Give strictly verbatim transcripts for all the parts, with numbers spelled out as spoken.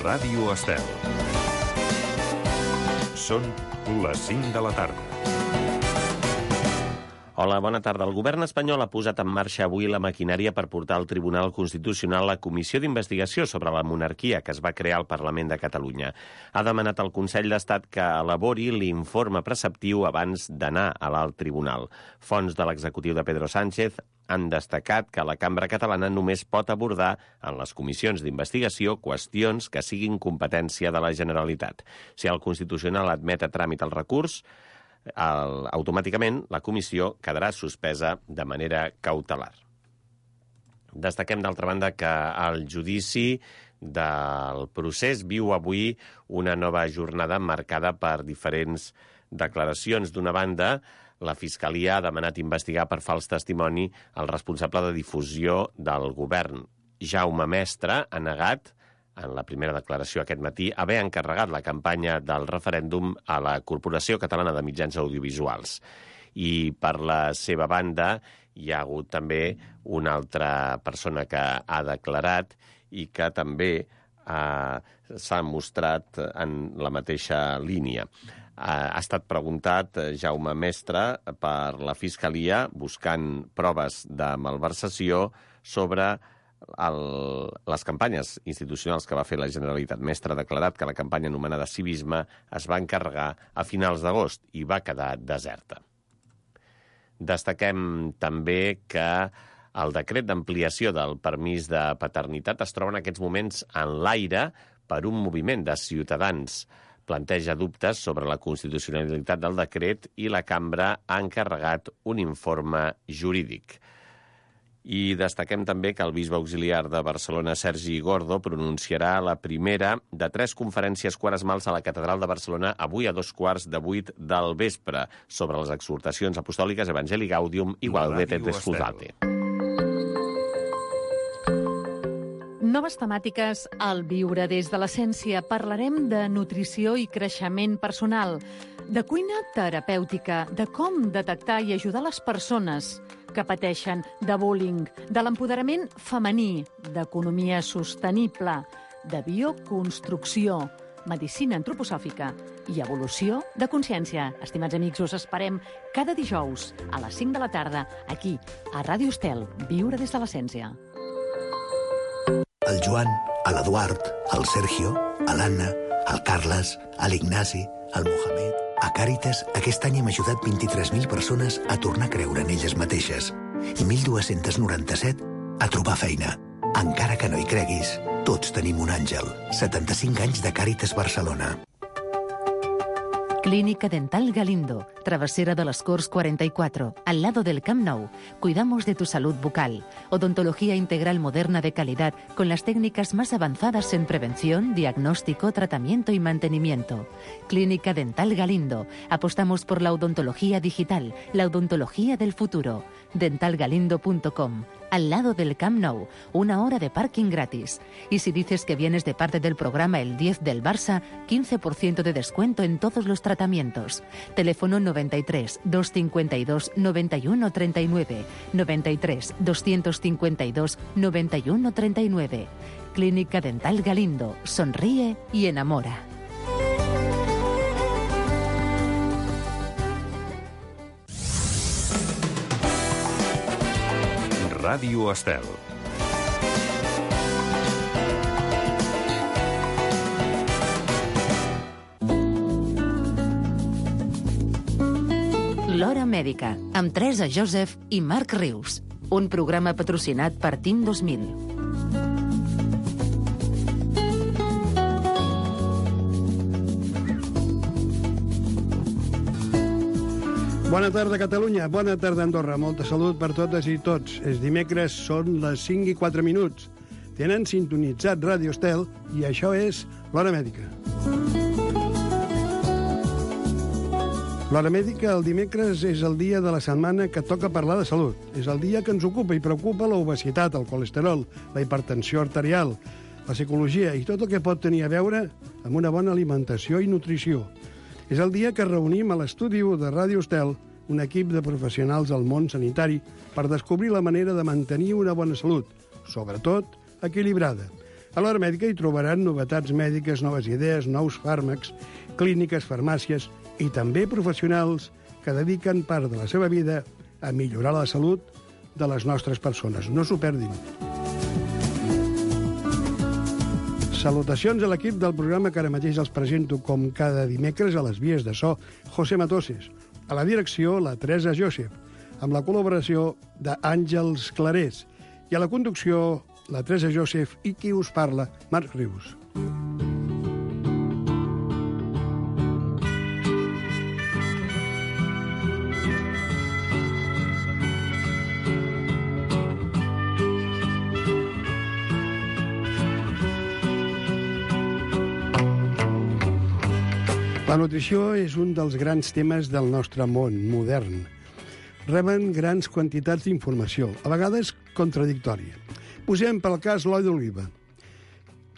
Ràdio Estel. Són les cinc de la tarda. Hola, bona tarda. El govern espanyol ha posat en marxa avui la maquinària per portar al Tribunal Constitucional la comissió d'investigació sobre la monarquia que es va crear al Parlament de Catalunya. Ha demanat al Consell d'Estat que elabori l'informe preceptiu abans d'anar a l'alt tribunal. Fonts de l'executiu de Pedro Sánchez han destacat que la cambra catalana només pot abordar en les comissions d'investigació qüestions que siguin competència de la Generalitat. Si el Constitucional admet a tràmit el recurs, el, automàticament la comissió quedarà suspesa de manera cautelar. Destaquem, d'altra banda, que el judici del procés viu avui una nova jornada marcada per diferents declaracions. D'una banda, la Fiscalia ha demanat investigar per fals testimoni el responsable de difusió del govern. Jaume Mestre ha negat, en la primera declaració aquest matí, haver encarregat la campanya del referèndum a la Corporació Catalana de Mitjans Audiovisuals. I per la seva banda hi ha hagut també una altra persona que ha declarat i que també eh, s'ha mostrat en la mateixa línia. Ha estat preguntat Jaume Mestre per la Fiscalia buscant proves de malversació sobre el, les campanyes institucionals que va fer la Generalitat. Mestre ha declarat que la campanya anomenada Civisme es va encarregar a finals d'agost i va quedar deserta. Destaquem també que el decret d'ampliació del permís de paternitat es troba en aquests moments en l'aire per un moviment de ciutadans. Planteja dubtes sobre la constitucionalitat del decret i la cambra ha encarregat un informe jurídic. I destaquem també que el bisbe auxiliar de Barcelona, Sergi Gordo, pronunciarà la primera de tres conferències quaresmals a la Catedral de Barcelona avui a dos quarts de vuit del vespre sobre les exhortacions apostòliques Evangelii Gaudium i Gaudete et Exsultate. Noves temàtiques al Viure des de l'Essència. Parlarem de nutrició i creixement personal, de cuina terapèutica, de com detectar i ajudar les persones que pateixen de bullying, de l'empoderament femení, d'economia sostenible, de bioconstrucció, medicina antroposòfica i evolució de consciència. Estimats amics, us esperem cada dijous a les cinc de la tarda, aquí, a Ràdio Estel, Viure des de l'Essència. El Joan, l'Eduard, el Sergio, l'Anna, el Carles, l'Ignasi, el Mohamed... A Càritas, aquest any hem ajudat vint-i-tres mil persones a tornar a creure en elles mateixes i mil dos-cents noranta-set a trobar feina. Encara que no hi creguis, tots tenim un àngel. setanta-cinc anys de Càritas Barcelona. Clínica Dental Galindo, Travesera de las Corts cuarenta y cuatro, al lado del Camp Nou. Cuidamos de tu salud bucal. Odontología integral moderna de calidad con las técnicas más avanzadas en prevención, diagnóstico, tratamiento y mantenimiento. Clínica Dental Galindo. Apostamos por la odontología digital, la odontología del futuro. dental galindo punto com. Al lado del Camp Nou, una hora de parking gratis. Y si dices que vienes de parte del programa El diez del Barça, quince por ciento de descuento en todos los tratamientos. Teléfono noventa y tres, doscientos cincuenta y dos, noventa y uno treinta y nueve, noventa y tres, doscientos cincuenta y dos, noventa y uno treinta y nueve. Clínica Dental Galindo. Sonríe y enamora. Ràdio Estel. L'Hora Mèdica, amb Teresa Joseph i Marc Rius. Un programa patrocinat per T I M dos mil. Bona tarda, Catalunya. Bona tarda, Andorra. Molta salut per totes i tots. És dimecres, són les cinc i quatre minuts. Tenen sintonitzat Ràdio Estel i això és l'Hora Mèdica. L'Hora Mèdica, el dimecres, és el dia de la setmana que toca parlar de salut. És el dia que ens ocupa i preocupa l'obesitat, el colesterol, la hipertensió arterial, la psicologia i tot el que pot tenir a veure amb una bona alimentació i nutrició. És el dia que reunim a l'estudi de Ràdio Estel un equip de professionals del món sanitari per descobrir la manera de mantenir una bona salut, sobretot equilibrada. A l'Hora Mèdica hi trobaran novetats mèdiques, noves idees, nous fàrmacs, clíniques, farmàcies i també professionals que dediquen part de la seva vida a millorar la salut de les nostres persones. No s'ho perdin. Salutacions a l'equip del programa que ara mateix els presento com cada dimecres a les vies de so, José Matoses. A la direcció, la Teresa Josep, amb la col·laboració d'Àngels Clarés. I a la conducció, la Teresa Josep i qui us parla, Marc Rius. La nutrició és un dels grans temes del nostre món modern. Reben grans quantitats d'informació, a vegades contradictòria. Posem pel cas l'oli d'oliva,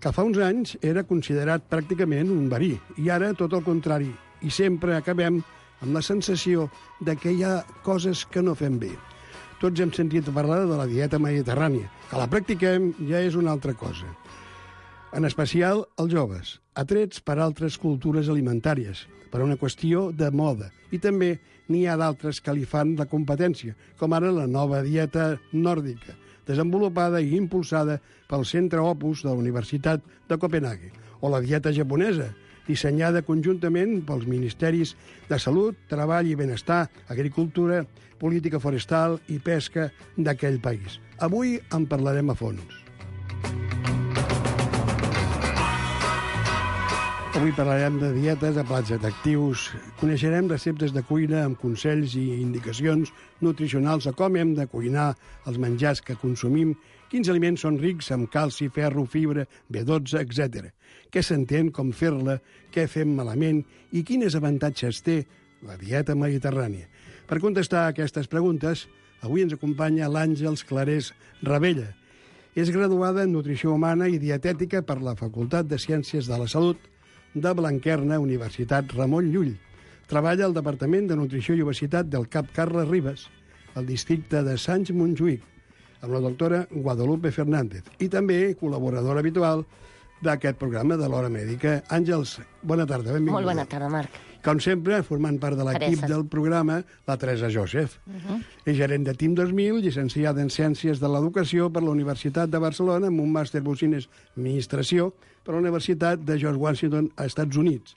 que fa uns anys era considerat pràcticament un verí, i ara tot el contrari, i sempre acabem amb la sensació de que hi ha coses que no fem bé. Tots hem sentit parlar de la dieta mediterrània, que la practiquem ja és una altra cosa. En especial els joves, atrets per altres cultures alimentàries, per una qüestió de moda. I també n'hi ha d'altres que li fan la competència, com ara la nova dieta nòrdica, desenvolupada i impulsada pel Centre Opus de la Universitat de Copenhague, o la dieta japonesa, dissenyada conjuntament pels Ministeris de Salut, Treball i Benestar, Agricultura, Política Forestal i Pesca d'aquell país. Avui en parlarem a fons. Avui parlarem de dietes, de plats atractius, coneixerem receptes de cuina amb consells i indicacions nutricionals a com hem de cuinar els menjars que consumim, quins aliments són rics amb calci, ferro, fibra, B dotze, etcètera. Què s'entén, com fer-la, què fem malament i quins avantatges té la dieta mediterrània. Per contestar a aquestes preguntes, avui ens acompanya l'Àngels Clarés Ravella. És graduada en Nutrició Humana i Dietètica per la Facultat de Ciències de la Salut de Blanquerna, Universitat Ramon Llull. Treballa al Departament de Nutrició i Obesitat del Cap Carles Ribes, al districte de Sants Montjuïc, amb la doctora Guadalupe Fernández, i també col·laboradora habitual d'aquest programa de l'Hora Mèdica. Àngels, bona tarda, benvinguda. Molt bona tarda, Marc. Com sempre, formant part de l'equip Teresa. del programa, la Teresa Josep. Uh -huh. És gerent de Team dos mil, llicenciada en Ciències de l'Educació per la Universitat de Barcelona, amb un màster Business Administració per la Universitat de George Washington, a Estats Units.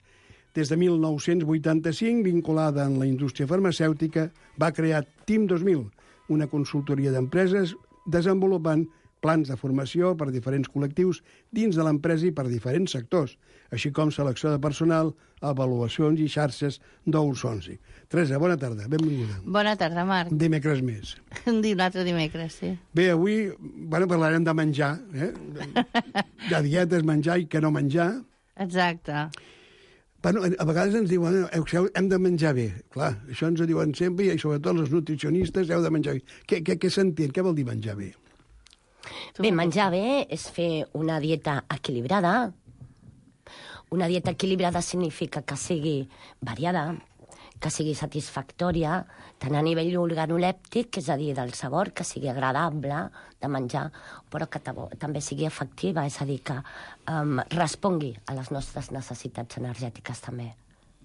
Des de mil nou-cents vuitanta-cinc, vinculada en la indústria farmacèutica, va crear Team dos mil, una consultoria d'empreses desenvolupant plans de formació per diferents col·lectius dins de l'empresa i per diferents sectors, així com selecció de personal, avaluacions i xarxes d'Oursonsi. Teresa, bona tarda, benvinguda. Bona tarda, Marc. Dimecres més. Un altre dimecres, sí. Bé, avui bueno, parlarem de menjar, eh? de dietes, menjar i què no menjar. Exacte. Bueno, a vegades ens diuen hem de menjar bé. Clar, això ens ho diuen sempre i sobretot els nutricionistes heu de menjar bé. Què, què, què s'entén? Què vol dir menjar bé? Bé, menjar bé és fer una dieta equilibrada. Una dieta equilibrada significa que sigui variada, que sigui satisfactòria, tant a nivell organolèptic, és a dir, del sabor, que sigui agradable de menjar, però que també sigui efectiva, és a dir, que um, respongui a les nostres necessitats energètiques també.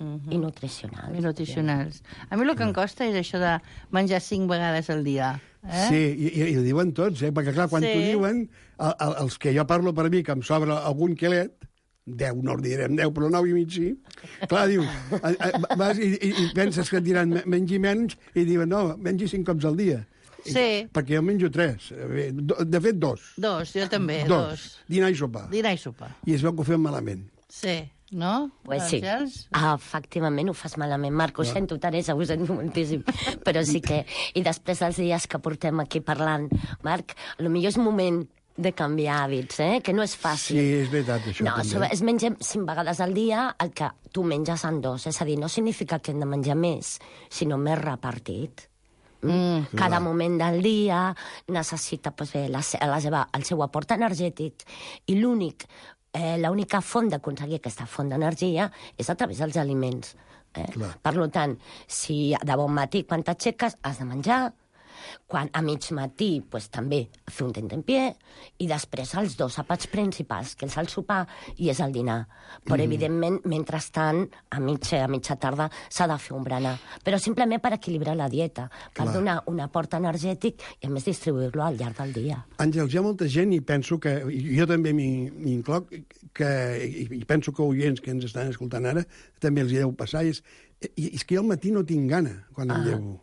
Uh-huh. I nutricionals. I nutricionals. A mi el que em costa és això de menjar cinc vegades al dia. Eh? Sí, i, i ho diuen tots, eh? Perquè clar, quan sí. t'ho diuen, el, el, els que jo parlo per mi, que em sobra algun quilet, deu, no en direm deu, però nou i mig sí, clar, diu, a, a, vas i, i, i penses que et diran mengi menys, i diuen, no, mengi cinc cops al dia. Sí. I, perquè jo menjo tres, de fet dos. Dos, jo també, dos. dos. Dinar i sopar. Dinar i sopar. I es veu que ho fem malament. Sí. No? Pues sí. Ah, efectivament ho fas malament, Marc. Ho no. sento, Teresa, ho sento moltíssim. Però sí que... I després dels dies que portem aquí parlant, Marc, potser és moment de canviar hàbits, eh? Que no és fàcil. Sí, és veritat, això no, també. Es menja cinc vegades al dia el que tu menges en dos. És a dir, no significa que hem de menjar més, sinó més repartit. Mm, cada clar. moment del dia necessita pues, bé, la, la seva, el seu aport energètic i l'únic Eh, l'única font d'aconseguir aquesta font d'energia és a través dels aliments. Eh? Per tant, si de bon matí, quan t'aixeques, has de menjar, Quan a mig matí, pues, també fer un tentempié, i després els dos àpats principals, que és el sopar i és el dinar. Però, mm. evidentment, mentrestant, a mitja, a mitja tarda, s'ha de fer un berenar. Però simplement per equilibrar la dieta, per Clar. donar un aport energètic i, a més, distribuir-lo al llarg del dia. Àngels, hi ha molta gent, i penso que, i jo també m'hi m'hi incloc, que, i, i penso que oients que ens estan escoltant ara també els hi deu passar, és, i, és que jo al matí no tinc gana quan em Ah. llevo.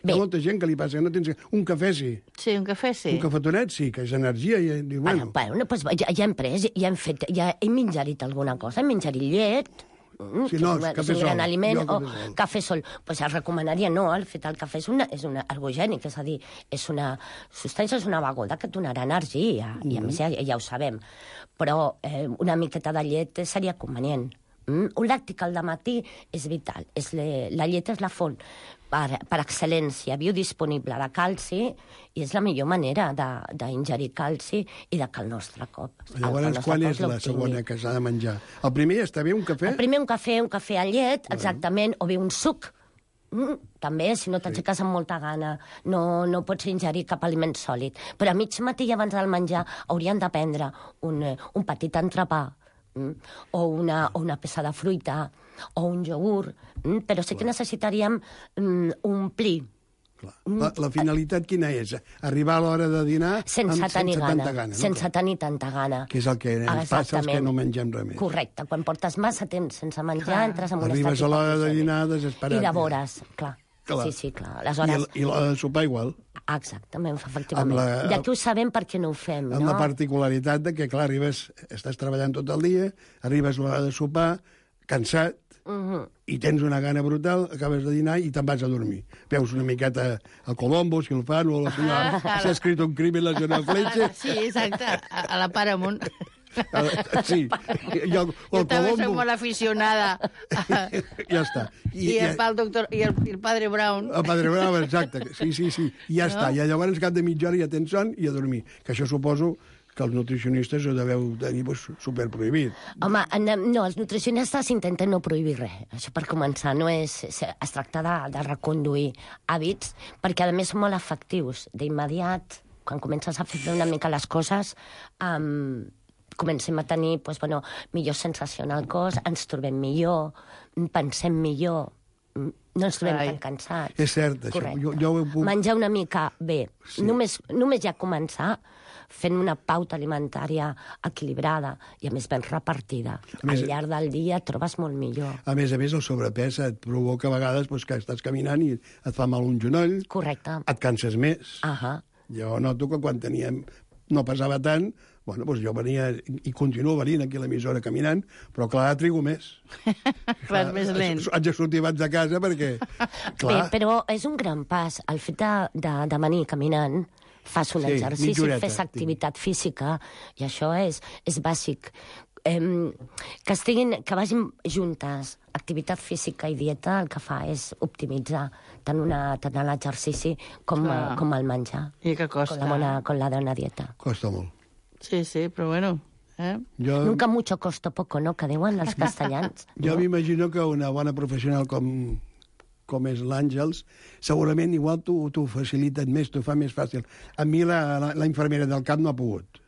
Bé. Hi ha molta gent que li passa que no tens gana. Un cafè sí, Sí, un cafè sí. un cafetonet sí, que és energia, i diu, Bueno, bueno, bueno pues, ja, ja hem pres, ja hem fet, ja hem menjarit alguna cosa, hem menjarit llet, mm, Sí, que no, és, una, cafè és un gran sol. aliment, Jo o cafè sol. cafè sol. Pues es recomanaria, no, el fet del cafè és, una, és una ergogènic, és a dir, és una substància, és una beguda que et donarà energia, i a més ja, ja ho sabem. Però eh, una miqueta de llet seria convenient. Mm? Un làctic al matí és vital. És le, la llet és la font per, per excel·lència biodisponible de calci i és la millor manera d'ingerir calci i de que el nostre cop... llavors el nostre quan cos és la l'obtingui. segona que s'ha de menjar? El primer està bé, un cafè? El primer un cafè, un cafè amb llet, exactament, o bé un suc. Mm, també, si no t'aixeques amb molta gana, no, no pots ingerir cap aliment sòlid. Però a mig matí i abans del menjar haurien de prendre un, eh, un petit entrepà, mm, o, una, o una peça de fruita, o un iogurt, mm, però sí que necessitaríem mm, omplir Clar. La, la finalitat quina és? Arribar a l'hora de dinar sense amb, tenir sense gana, tanta gana. sense no? tenir tanta gana. Que és el que ens passa als que Exactament. no mengem res més. Correcte, quan portes massa temps sense menjar, Clar. entres en un Arribes estat a l'hora de hipoglicèmic. dinar desesperat. I de vores, clar. Clar. Sí, sí, clar. I, Aleshores, el, I l'hora de sopar igual. exactament, efectivament. Amb la- Ja que ho sabem, per què no ho fem, Amb no? la particularitat de que, clar, arribes, estàs treballant tot el dia, arribes a l'hora de sopar, cansat, Mhm. i tens una gana brutal, acabes de dinar i te'n vas a dormir. Veus una miqueta a Colombo, si el fan, o la senyora... Ah, S'ha escrit un crimen, la senyora Fletcher. Sí, exacte, a, a la Paramount. Sí, i el, Jo el també soc Colombo... molt aficionada. Ja està. I, I el, el doctor, i el, i el padre Brown. El Padre Bravo, exacte. Sí, sí, sí. I ja No? està. I llavors, cap de mitja hora ja tens son i a dormir. Que això suposo que els nutricionistes ho deveu tenir pues, superprohibit. Home, en- no, els nutricionistes intenten no prohibir res. Això per començar, no és... Es tracta de, de reconduir hàbits, perquè a més són molt efectius. D'immediat, quan comences a fer una mica les coses, um, comencem a tenir pues, bueno, millor sensació en el cos, ens trobem millor, pensem millor, no ens trobem Carai. tan cansats. És cert, això. Correcte. Jo, jo ho puc... Menjar una mica bé. Sí. Sí. Només, només ja començar fent una pauta alimentària equilibrada i, a més, ben repartida. A més- Al llarg del dia et trobes molt millor. A més a més, el sobrepès et provoca a vegades pues, que estàs caminant i et fa mal un genoll, Correcte. et canses més. Ahà. Jo noto que quan teníem... no pesava tant, bueno, doncs jo venia i continuo venint aquí a l'emissora caminant, però clar, trigo més. Vas més lent. Haig de sortir abans de casa perquè... Clar, Bé, però és un gran pas. El fet de, de, de venir caminant, fas un Sí, exercici, mitja horeta, fes activitat física, i això és, és bàsic. Em, que, estiguin, que vagin juntes activitat física i dieta, el que fa és optimitzar tant, una, tant l'exercici com, Clar. com el menjar. I que costa. Con la, bona, con la bona dieta. costa molt. Sí, sí, però bueno... Eh? Jo, Nunca mucho costo poco, no?, que diuen els castellans. jo m'imagino que una bona professional com, com és l'Àngels, segurament igual t'ho t'ho faciliten més, t'ho fa més fàcil. A mi la, la, la infermera del cap no ha pogut.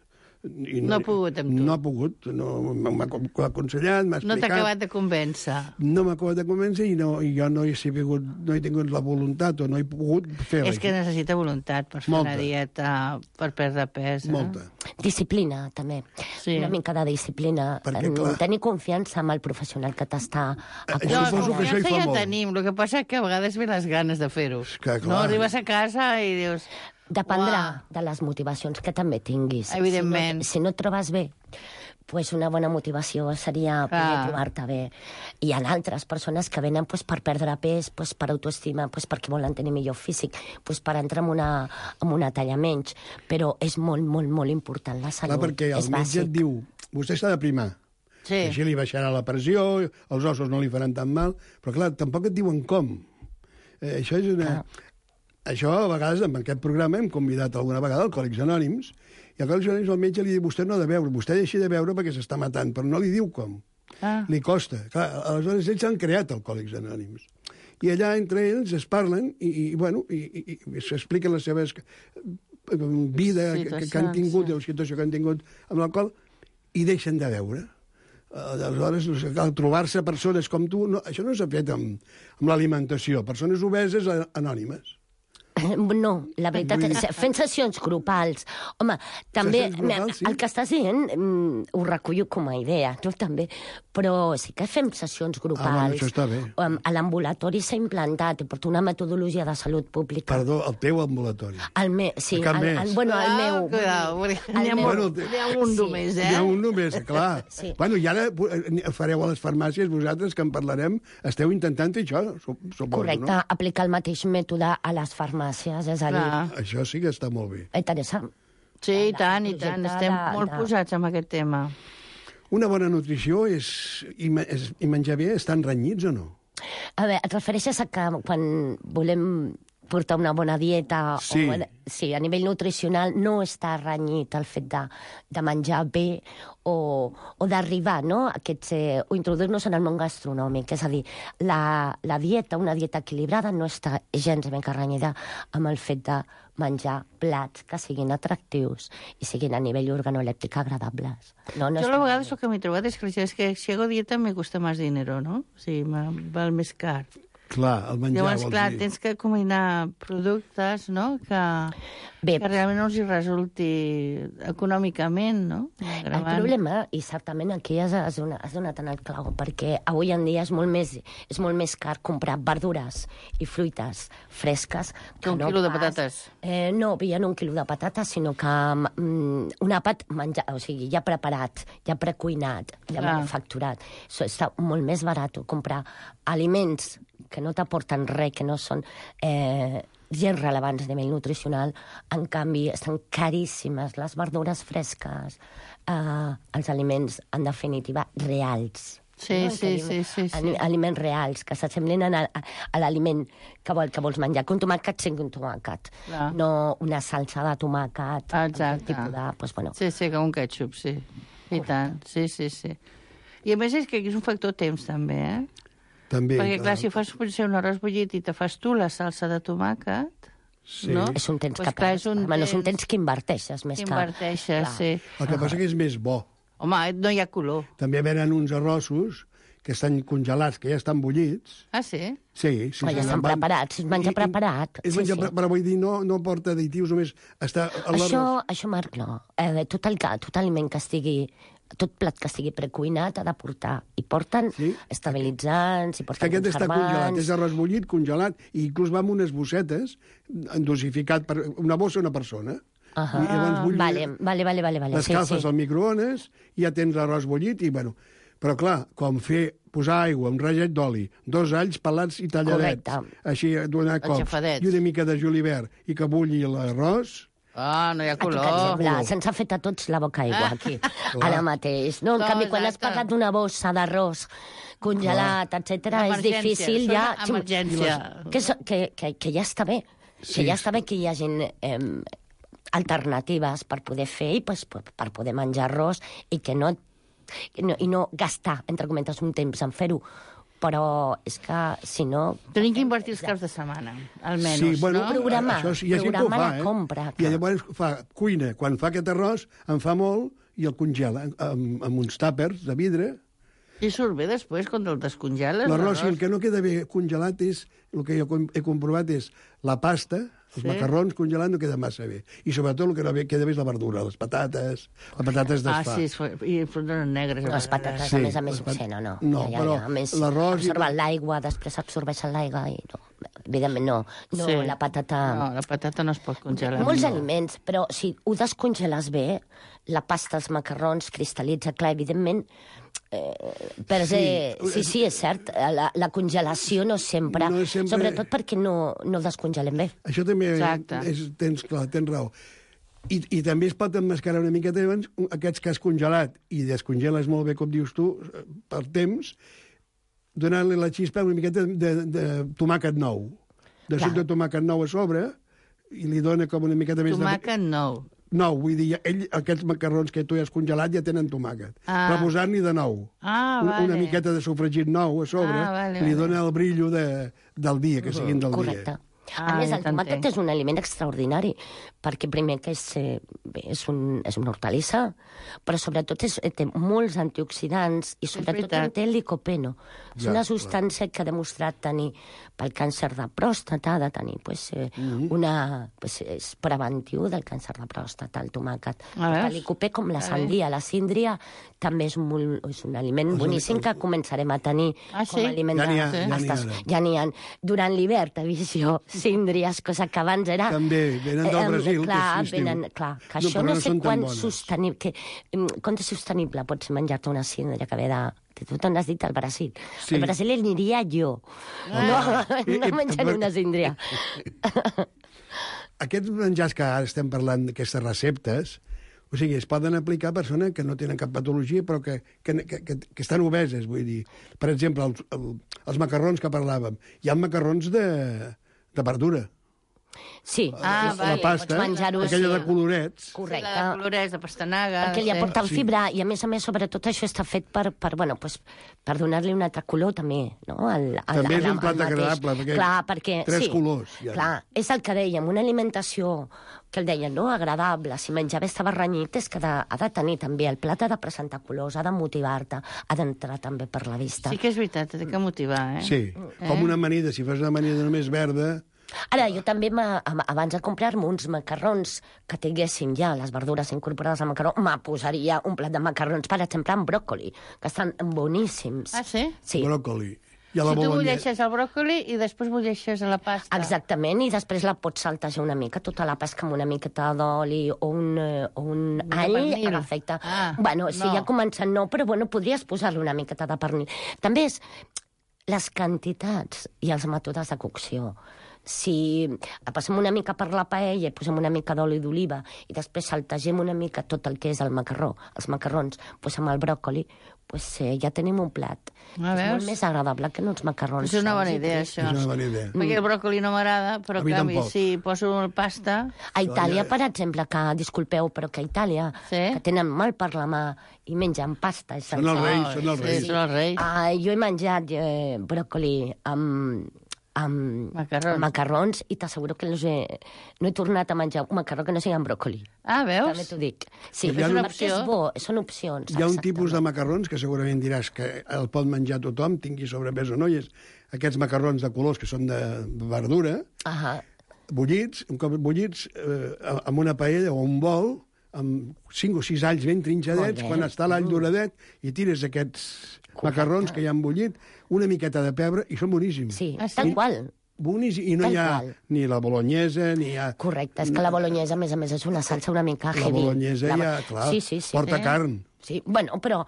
I No ha pogut amb tu. No ha pogut, no, m'ha m'ha aconsellat, m'ha No explicat... t'ha acabat de convèncer. No m'ha acabat de convèncer i, no, i jo no he, sigut, no he tingut la voluntat o no he pogut fer-la. És que necessita voluntat per fer Molta. una dieta, per perdre pes. Eh? Molta. Disciplina, també. Sí. Una mica de disciplina. Perquè, En clar- Tenir confiança amb el professional que t'està Eh, No, Suposo que això hi confiança fa ja molt. tenim, el que passa és que a vegades ve les ganes de fer-ho. que, clar. No, arribes a casa i dius... Dependrà Uah. de les motivacions que també tinguis. Evidentment. Si no, si no et trobes bé, pues una bona motivació seria poder Ah. trobar-te bé. Hi ha altres persones que venen pues, per perdre pes, pues, per autoestima, pues, perquè volen tenir millor físic, pues, per entrar en una, en una talla menys. Però és molt, molt, molt important la salut. Clar, perquè el és metge et bàsic. diu, vostè s'ha de primar. Sí. Així li baixarà la pressió, els ossos no li faran tan mal, però clar, tampoc et diuen com. Eh, això és una... Ah. Això, a vegades, en aquest programa hem convidat alguna vegada Alcohòlics Anònims, i Alcohòlics Anònims el metge li diu, vostè no ha de beure, vostè deixi de beure perquè s'està matant, però no li diu com. Ah. Li costa. Clar, aleshores ells han creat Alcohòlics Anònims. I allà entre ells es parlen i, i bueno, i, i, i s'expliquen les seves vida que, que han tingut, sí. la situació que han tingut amb l'alcohol, i deixen de beure. Aleshores, cal trobar-se persones com tu, no, això no s'ha fet amb, amb l'alimentació, persones obeses anònimes. No, la veritat és fent sessions grupals. Home, també grupals, sí? El que estàs dient ho recullo com a idea, no també, però sí que fem sessions grupals. Ah, bueno, això està bé. A l'ambulatori s'ha implantat, i porta una metodologia de salut pública. Perdó, el teu ambulatori. El meu, sí. El, el, el, bueno, el meu. Cuidao, n'hi ha, bueno, ha un només, eh? N'hi ha un només, clar. Sí. Bueno, i ara fareu a les farmàcies, vosaltres, que en parlarem, esteu intentant fer això, suposo, correcte, no? aplicar el mateix mètode a les farmàcies. És a dir... Això sí que està molt bé. Interessant. Sí, i tant, i tant. Estem de, molt de... posats en aquest tema. Una bona nutrició és, i, és, i menjar bé, estan renyits o no? A veure, et refereixes a que quan volem portar una bona dieta... Sí. O, sí, a nivell nutricional no està renyit el fet de, de menjar bé o, o d'arribar, no?, a aquests, eh, o introduir-nos en el món gastronòmic. És a dir, la, la dieta, una dieta equilibrada, no està gens ben renyida amb el fet de menjar plats que siguin atractius i siguin a nivell organolèptic agradables. No, no jo a vegades el que m'he trobat és que, és que si hago dieta me cuesta más dinero, no? O sigui, val més car. Clar, el menjar, llavors, vols clar, dir. tens que combinar productes, no?, que, Bé, que realment no els hi resulti econòmicament, no? El problema, i certament aquí has, has, donat, has donat en el clau, perquè avui en dia és molt més, és molt més car comprar verdures i fruites fresques que un no quilo pas, de patates. Eh, no, ja no un quilo de patates, sinó que mm, un àpat menjar, o sigui, ja preparat, ja precuinat, ja clar. manufacturat. So, està molt més barat comprar aliments que no t'aporten res, que no són eh, gens rellevants a nivell nutricional. En canvi, estan caríssimes les verdures fresques, eh, els aliments, en definitiva, reals. Sí, no? sí, sí, sí, sí. Aliments reals, que s'assemblin a, a, a l'aliment que, vol, que vols menjar. Que un tomàquet sigui un tomàquet, clar. No una salsa de tomàquet. Exacte. Tipus de, pues, bueno. Sí, sí, com un ketchup, sí. I tant, sí, sí, sí. I a més és que aquí és un factor temps, també, eh? També, perquè, clar, si fas potser un arròs bullit i te fas tu la salsa de tomàquet, sí. no? És un temps pues que clar, és un bueno, temps... és un temps que inverteixes més que... Inverteixes, sí. El que passa que és més bo. Home, no hi ha color. També venen uns arrossos que estan congelats, que ja estan bullits. Ah, sí? Sí, sí. Però ja estan van... preparats, és menjar preparat. És sí, menjar sí. Pre... Però vull dir, no, no porta additius, només està... Això, això, Marc, no. Eh, tot, el, tot aliment que estigui... Tot plat que estigui precuinat ha de portar. I porten sí? estabilitzants, i porten aquest conservants... està congelat, és arròs bullit, congelat, i inclús va amb unes bossetes, dosificat per una bossa a una persona. Uh -huh. I llavors bullir, vale, vale, vale, vale, vale. les calces sí, sí. al microones, i ja tens l'arròs bullit, i bueno... Però clar, com fer, posar aigua, un raget d'oli, dos alls pelats i talladets, correcte. Així donar cops, i una mica de julivert, i que bulli l'arròs... Ah, no hi ha color. Exemple, se'ns ha fet a tots la boca aigua, aquí, ara mateix. No, en no, canvi, quan has parlat d'una bossa d'arròs congelat, etcètera, és difícil ja... Emergència. Que, que, que, que ja està bé. Sí. Que ja està bé que hi hagin eh, alternatives per poder fer i pues, per poder menjar arròs i que no, no, i no gastar, entre cometes, un temps en fer-ho. Però és que, si no... Tenim que invertir els caps de setmana, almenys, sí, bueno, no? Programar, això, hi ha programar fa, la eh? compra. I llavors fa cuina. Quan fa aquest arròs, en fa molt i el congela amb, amb uns tàpers de vidre. I surt bé després, quan el descongeles? L'arròs, si el que no queda bé congelat és, el que jo he comprovat és la pasta, els sí? macarrons congelats no queda massa bé. I sobretot el que no queda bé és la verdura, les patates, les patates d'esfà. Ah, sí, i frunes negres. No, les patates, sí, a més a més, pat... sí, no, no. No, ja, ja, però ja. A més, l'arròs... absorben i... l'aigua, després absorbeixen l'aigua i no. Evidentment no. No, sí. la patata... No, la patata no es pot congelar. Molts no. aliments, però si ho descongeles bé, la pasta, els macarrons, cristal·litza, clar, evidentment... Eh, per sí. sí, sí, és cert, la, la congelació no sempre, no sempre... sobretot perquè no, no descongelem bé. Això també és, tens, clar, tens raó. I, I també es pot emmascarar una miqueta abans aquests que has congelat i descongeles molt bé, com dius tu, per temps, donant-li la xispa una miqueta de, de, de tomàquet nou. De suc de tomàquet nou a sobre i li dona com una miqueta més tomàquet de... nou. nou, vull dir, ell, aquests macarrons que tu ja has congelat ja tenen tomàquet. Ah. Però posar-n'hi de nou. Ah, Un- vale. Una miqueta de sofregit nou a sobre Ah, vale, li vale. dona el brillo de, del dia, que siguin del Correcte. dia. A Ah, més, ja el tomàquet t'entenc. és un aliment extraordinari, perquè primer que és, eh, bé, és, un, és una hortalissa, però sobretot és, té molts antioxidants i sobretot veritat. en té el licopeno. És Ja, una clar. substància que ha demostrat tenir, pel càncer de pròstata, ha de tenir pues, eh, Mhm. una... Pues, és preventiu del càncer de pròstata, el tomàquet. A veure. El licopè, com la A sandia, la síndria, també és, molt, és un aliment Els- boníssim que començarem a tenir Ah, com sí? a aliment Ja n'hi ha, de... ja n'hi ha Estàs- ara. ja n'hi ha. Durant l'hivern, t'he vist jo, síndries, cosa que abans era... També, venen del eh, Brasil, clar, que és estiu. venen, clar, que No, això però no, no sé són tan quan bones. sostenible... Que, em, quan de sostenible pots menjar-te una síndria que ve de... Que tu te'n has dit al Brasil. Sí. Al Brasil aniria jo. Ah. No, I- no i- menjant una síndria. Aquests menjars que ara estem parlant d'aquestes receptes, o sigui, es poden aplicar a persones que no tenen cap patologia, però que, que, que, que, que estan obeses, vull dir. Per exemple, els, el, els macarrons que parlàvem. Hi ha macarrons de, de verdura. Sí, Ah, sí, vale. sí, La pasta, pots menjar-ho, aquella sí. de colorets. Correcte. La de colorets, de pastanaga... Perquè li sí. aporta el Sí. fibra i, a més a més, sobretot això està fet per, per, bueno, pues, per donar-li un altre color, també, no? Al, al, També és al- un plat al mateix. agradable, perquè Clar, perquè... tres sí, colors, ja. Clar, és el que dèiem, una alimentació que el deien, no?, agradable, si menjar bé estava renyit, és que ha de, ha de tenir també, el plat ha de presentar colors, ha de motivar-te, ha d'entrar també per la vista. Sí que és veritat, té que motivar, eh? Sí, com una amanida. Si fas una amanida només verda... Ara, jo també, m'ha- am- abans de comprar-me uns macarrons que tinguessin ja les verdures incorporades al macarró, me posaria un plat de macarrons, per exemple, amb bròcoli, que estan boníssims. Ah, sí? Sí. Bròcoli. I a la Si tu bolognese. bulleixes el bròcoli i després bulleixes la pasta. Exactament, i després la pots saltejar una mica, tota la pesca amb una miqueta d'oli o un, eh, o un De all, pernil. perfecte. Ah, bueno, sí, no. ja començant no, però bueno, podries posar-li una miqueta de pernil. També és les quantitats i els mètodes de cocció. Si passem una mica per la paella i posem una mica d'oli d'oliva i després saltegem una mica tot el que és el macarró, els macarrons, pues amb el bròcoli, pues eh, ja tenim un plat. Ah, és veus? molt més agradable que uns macarrons. És una bona sols i idea, tristos. això. És una bona idea. Perquè el bròcoli no m'agrada, però A en mi canvi, tampoc. si poso pasta... A Itàlia, per exemple, que, disculpeu, però que a Itàlia, Sí? que tenen mal per la mà i mengen pasta... i Són els salsa. reis, són els Sí, reis. són els reis. Ah, jo he menjat eh, bròcoli amb, amb Macarrons. amb macarrons i t'asseguro que no he, no he tornat a menjar un macarró que no sigui amb bròcoli. Ah, veus? També t'ho dic. Sí, Hi ha és una una opció. És bo, són opcions. Hi ha un exactament. tipus de macarrons que segurament diràs que el pot menjar tothom, tingui sobrepès o no, i és aquests macarrons de colors que són de verdura, Ahà. bullits, un cop bullits, eh, amb una paella o un bol, amb cinc o sis alls ben trinxadets, Molt bé. quan està l'all doradet, i tires aquests macarrons que hi han bullit, una miqueta de pebre, i són boníssims. Sí, Ah, sí? tal qual. Boníssim. I no Tal hi ha qual. ni la bolognesa, ni hi ha... Correcte, és que la bolognesa, a més a més, és una salsa una mica La heavy. bolognesa La- ja, clar, sí, sí, sí. porta Eh? carn. Sí, bueno, però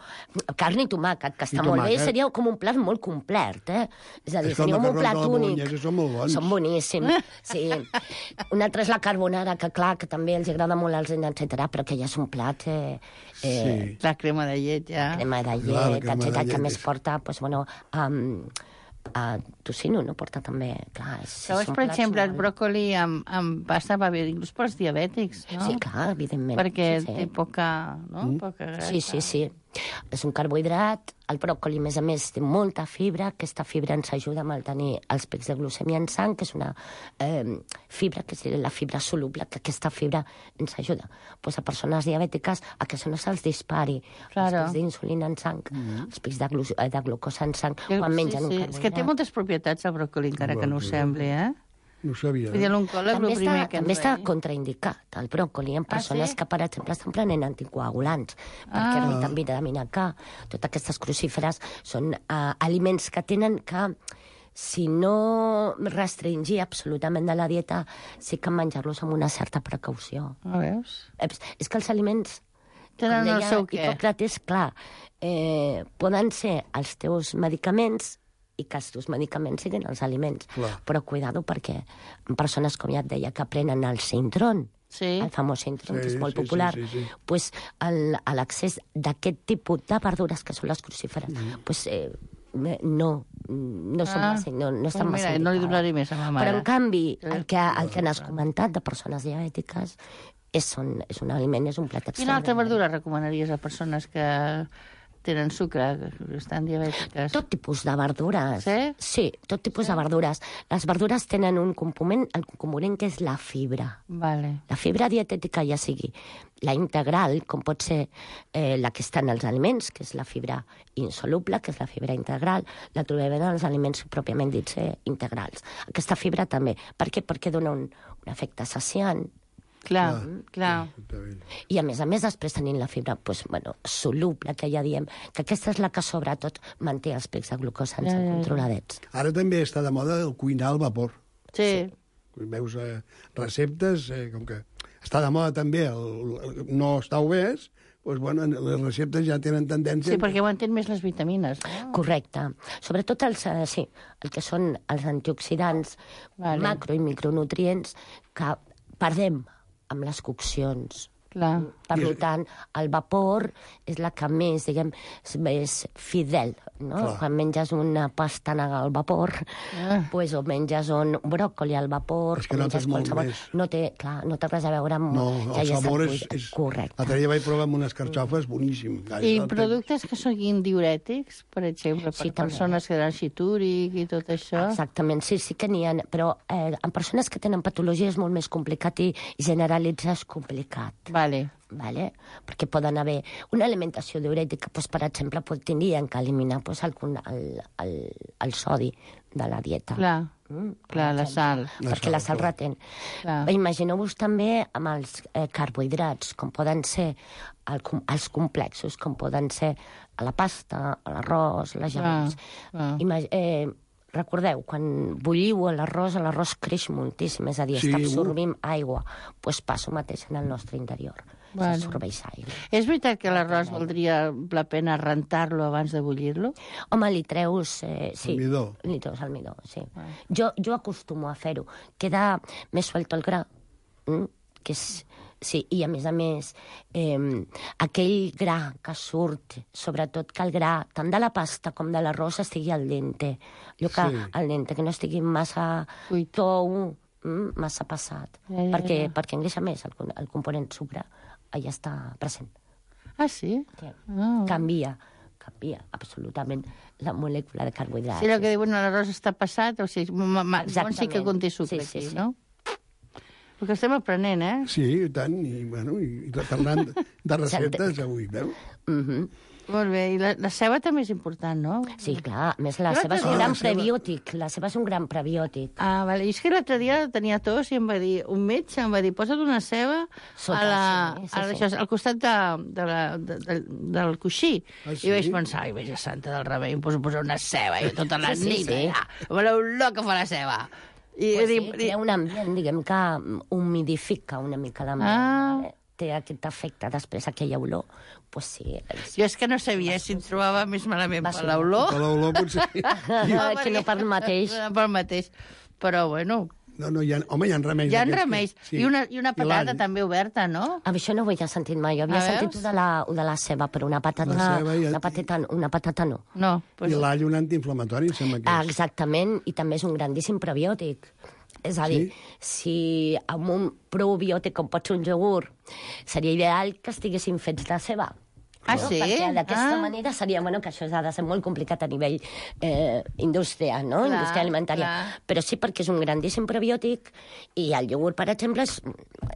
carn i tomàquet, que està I molt bé, tomàquet. seria com un plat molt complet, eh? És a dir, És que els seria un macarrons plat de la únic. bolognesa són molt bons. Són boníssims, sí. Un altre és la carbonara, que clar, que també els agrada molt als nens, etcètera, però que ja és un plat... Eh, eh, Sí. La crema de llet, ja. crema de Clar, la llet, crema de etcètera, llet que més és- porta, doncs, bueno, um, a tocino, no? Porta també, clar... És, Sabes, són per plats exemple, el molt- bròcoli amb, amb pasta va bé inclús pels diabètics, no? Sí, clar, evidentment. Perquè sí, sí. té poca, no? Mm. Poca grasa. Sí, sí, sí. És un carbohidrat. El bròcoli, a més a més, té molta fibra. Aquesta fibra ens ajuda a mantenir els pics de glucèmia en sang, que és una eh, fibra, que és la fibra soluble, que aquesta fibra ens ajuda pues, a persones diabètiques a que això no se'ls dispari. Claro. Els pics d'insulina en sang, els pics de, glu de glucosa en sang, Que- quan mengen sí, un sí. carbohidrat. És que té moltes propietats el bròcoli, encara que no ho Bròcoli. sembli, eh? No ho sabia. Vull dir, l'oncòleg, També el primer està, que ens també està deia. contraindicat el bròcoli en persones sí? que, per exemple, estan prenent anticoagulants, perquè Ah. la vitamina K, totes aquestes crucíferes, són uh, aliments que tenen que, si no restringir absolutament de la dieta, sí que menjar-los amb una certa precaució. Ah, veus? És, és que els aliments, Tenen com el deia seu què. Hipòcrates, clar, eh, poden ser els teus medicaments i que els teus medicaments siguin els aliments. Clar. Però cuidado, perquè en persones, com ja et deia, que prenen el Sintron, Sí. el famós Sintron, Sí, que és molt sí, sí, popular, sí, sí. pues, el- a l'accés d'aquest tipus de verdures, que són les crucíferes, Mm. pues, eh, no, no, són Ah, massa, no, no estan pues massa mira, no li indicades. donaré més a ma mare. Però, en canvi, Eh, el que, el que n'has comentat de persones diabètiques, és, un, és un aliment, és un plat extraordinari. Quina altra verdura recomanaries a persones que tenen sucre, que estan diabètiques? Tot tipus de verdures. Sí? Sí, tot tipus sí? de verdures. Les verdures tenen un component, el component que és la fibra. Vale. La fibra dietètica, ja sigui la integral, com pot ser eh, la que està en els aliments, que és la fibra insoluble, que és la fibra integral, la trobem en els aliments pròpiament dits eh, integrals. Aquesta fibra també. Per què? Perquè dona un, un efecte saciant. Clar, clar. I a més a més, després tenint la fibra pues, bueno, soluble, que ja diem, que aquesta és la que sobretot manté els pics de glucosa ja, ja, ja. controladets. Ara també està de moda el cuinar al vapor. Sí. sí. Veus eh, receptes, eh, com que està de moda també el, el no estar obès, doncs, bueno, les receptes ja tenen tendència... Sí, perquè aguanten més les vitamines. No? Correcte. Sobretot els, eh, sí, el que són els antioxidants, vale. macro i micronutrients, que perdem amb les coccions. Clar. Per tant, el vapor és la que més, diguem, és fidel, no? Clar. Quan menges una pastanaga al vapor, ah. pues, o menges un bròcoli al vapor... És que notes molt més. No té, clar, no té res a veure amb... No, ja el sabor és, és... Correcte. L'altre dia vaig provar amb unes carxofes, boníssim. I productes que siguin diurètics, per exemple, per sí, persones que tenen xitúric i tot això? Exactament, sí, sí que n'hi ha, però eh, en persones que tenen patologia és molt més complicat i generalitzar és complicat. Vale. Vale? Perquè poden haver una alimentació diurètica, doncs, per exemple, pues, tindrien que eliminar pues, el, el, el, el sodi de la dieta. Clar, mm, clar la sal. Perquè la sal, la sal retén. Imagineu-vos també amb els eh, carbohidrats, com poden ser el, els complexos, com poden ser la pasta, l'arròs, les llavors. Imag eh, Recordeu, quan bulliu l'arròs, l'arròs creix moltíssim, és a dir, sí, està absorbint uh. aigua. Doncs pues passa el mateix en el nostre interior. Bueno. S'absorbeix aigua. És veritat que l'arròs valdria la pena rentar-lo abans de bullir-lo? Home, li treus... Eh, sí, el midó. Li treus el midó, sí. Ah. Jo, jo acostumo a fer-ho. Queda més suelto el gra, mm? que és... Sí, i a més a més, eh, aquell gra que surt, sobretot que el gra, tant de la pasta com de l'arròs, estigui al dente. Allò que sí. al dente, que no estigui massa tou, mm, massa passat. Ja, ja, perquè, ja. perquè engreixa més el, el component sucre. Allà està present. Ah, sí? sí. Oh. Canvia, canvia absolutament la molècula de carbohidrats. Sí, el que diuen l'arròs està passat, o sigui, sí que conté sucre sí, sí, aquí, sí. no? Perquè estem aprenent, eh? Sí, i tant, i, bueno, i parlant de receptes avui, veu? Mhm. Molt bé, i la, la ceba també és important, no? Sí, clar, a més la ceba és un gran prebiòtic, la ceba és un gran prebiòtic. Ah, vale, i és que l'altre dia tenia tos i em va dir, un metge em va dir, posa't una ceba Sota, a la, sí, sí, a la, sí. Això, al costat de, de la, de, de, del coixí. Ah, sí? I vaig pensar, ai, veja santa del remei, em poso a posar una ceba i tota la sí, sí, nit, sí. ja, amb l'olor que fa la ceba. I, pues sí, sí, crea un ambient, diguem, que humidifica una mica la mà. Ah. Té aquest efecte, després aquella olor, pues sí. És... Jo és que no sabia si em trobava més malament per l'olor. Per l'olor potser. No, que no pel mateix. No pel mateix. Però, bueno... No, no, hi ha, home, hi ha remeis. Hi ha remeis. Sí. I, una, I una patata I també oberta, no? A això no ho havia sentit mai. Jo havia sentit de la, de la ceba, però una patata, una, i... una, patata, una patata no. No. Pues... I l'all un antiinflamatori, em sembla que és. Ah, exactament, i també és un grandíssim probiòtic. És a dir, sí? si amb un probiòtic com pot ser un iogurt, seria ideal que estiguessin fets de ceba. Ah, no? sí? Perquè d'aquesta ah. manera seria, bueno, que això ha de ser molt complicat a nivell eh, indústria, no? Clar, indústria alimentària. Clar. Però sí perquè és un grandíssim probiòtic i el iogurt, per exemple, és,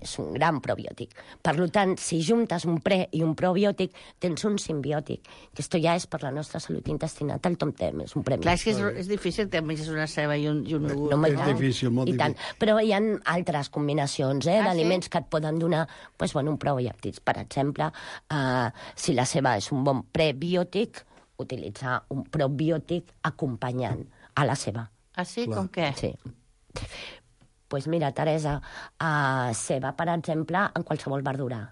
és un gran probiòtic. Per tant, si juntes un pre i un probiòtic, tens un simbiòtic, que esto ja és per la nostra salut intestinal, tal com tem, és un premi. Clar, és que és, és difícil que menges una ceba i un, i un iogurt. No, és no? difícil, molt I tant. difícil. Però hi ha altres combinacions eh, ah, d'aliments sí? que et poden donar pues, bueno, un probiòtics. Per exemple, eh, si la ceba és un bon prebiòtic, utilitzar un probiòtic acompanyant a la ceba. Ah, sí? Clar. Com què? Sí. Pues mira, Teresa, uh, ceba, per exemple, en qualsevol verdura.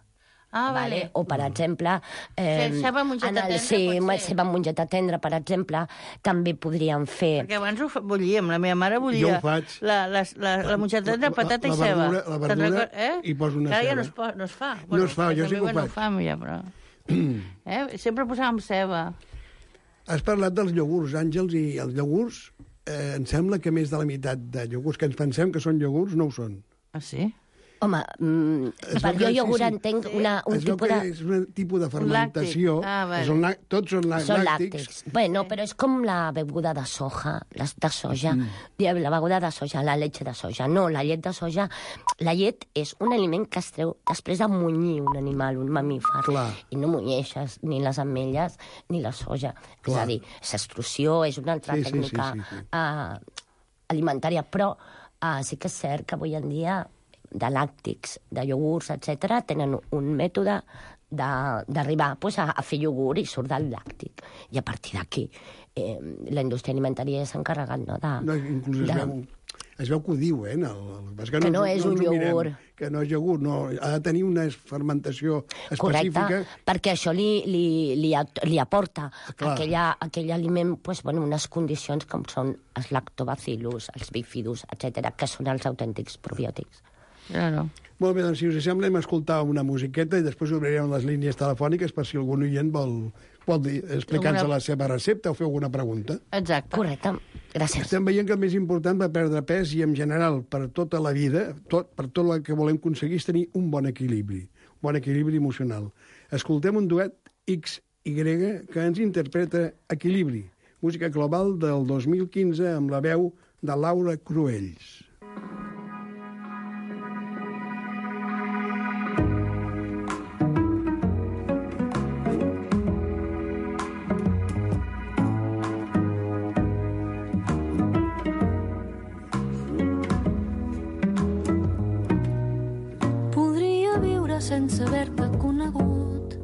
Ah, vale. vale. O, per exemple... Eh, sí, ceba amb mongeta el, tendra, sí, pot ser. ceba amb mongeta tendra, per exemple, també podríem fer... Perquè abans ho bullíem, la meva mare bullia. Jo ho faig. La, la, la, la mongeta tendra, patata la, la i ceba. verdura, la verdura eh? i poso una Clar, ceba. ja no es, po, no es fa. No es fa, jo sí que ho bueno, faig. Ho fam, ja, però... eh? Sempre posàvem ceba. Has parlat dels iogurts, Àngels, i els iogurts, eh, em sembla que més de la meitat de iogurts que ens pensem que són iogurts no ho són. Ah, sí? Home, mm, per jo iogurt entenc una, un es veu tipus que de... és un tipus de fermentació. Ah, vale. Són, la- tots són, la- Són làctics. làctics. Bueno, però és com la beguda de soja, les de soja. Mm. La beguda de soja, la leche de soja. No, la llet de soja... La llet és un aliment que es treu després de munyir un animal, un mamífer. Clar. I no munyeixes ni les ametlles ni la soja. Clar. És a dir, és extrusió, és una altra Sí, sí, tècnica sí, sí, sí. Uh, alimentària, però uh, sí que és cert que avui en dia de làctics, de iogurts, etcètera, tenen un mètode de- d'arribar pues, a, a fer iogurt i surt del làctic. I a partir d'aquí eh, la indústria alimentària s'ha encarregat, no? De, No, inclús es, de- veu, es veu que ho diu, eh? El, el, que, Que no és un ens ho mirem, iogurt. Que no és iogurt, no. Ha de tenir una fermentació específica. Correcte, perquè això li, li, li, at- li aporta Clar. aquella, aquell aliment pues, bueno, unes condicions com són els lactobacillus, els bifidus, etcètera, que són els autèntics probiòtics. Claro. Molt bé, doncs si us sembla hem escoltar una musiqueta i després obrirem les línies telefòniques per si algun oient vol, vol dir- explicar-nos Alguna- la seva recepta o fer alguna pregunta. Exacte. Correcte, gràcies. Estem veient que el més important per perdre pes i en general per tota la vida, tot, per tot el que volem aconseguir és tenir un bon equilibri, un bon equilibri emocional. Escoltem un duet X Y que ens interpreta Equilibri, música global del dos mil quinze amb la veu de Laura Cruells. Podria viure sense haver-te conegut.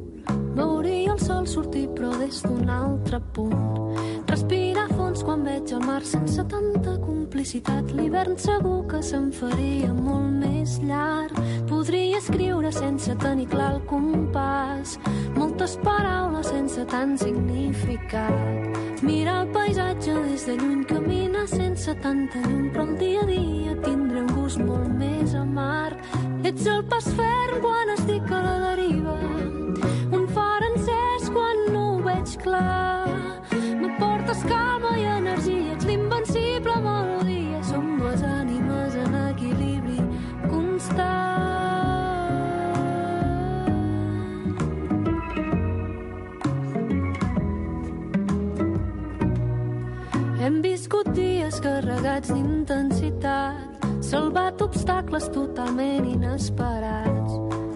Veuria el sol sortir però des d'un altre punt. Respirar fons quan veig el mar sense tanta complicitat. L'hivern segur que se'n faria molt més llarg. Podria escriure sense tenir clar el compàs. Moltes paraules sense tant significat. Mirar el paisatge des de lluny, caminar sense tanta llum, però el dia a dia tindré un gust molt més amarg. Ets el pas ferm quan estic a la deriva, un far encès quan no ho veig clar. M'aportes calma i energia, ets l'invencible melodia. Som dues ànimes en equilibri constant. Hem viscut dies carregats d'intensitat, salvat obstacles totalment inesperats.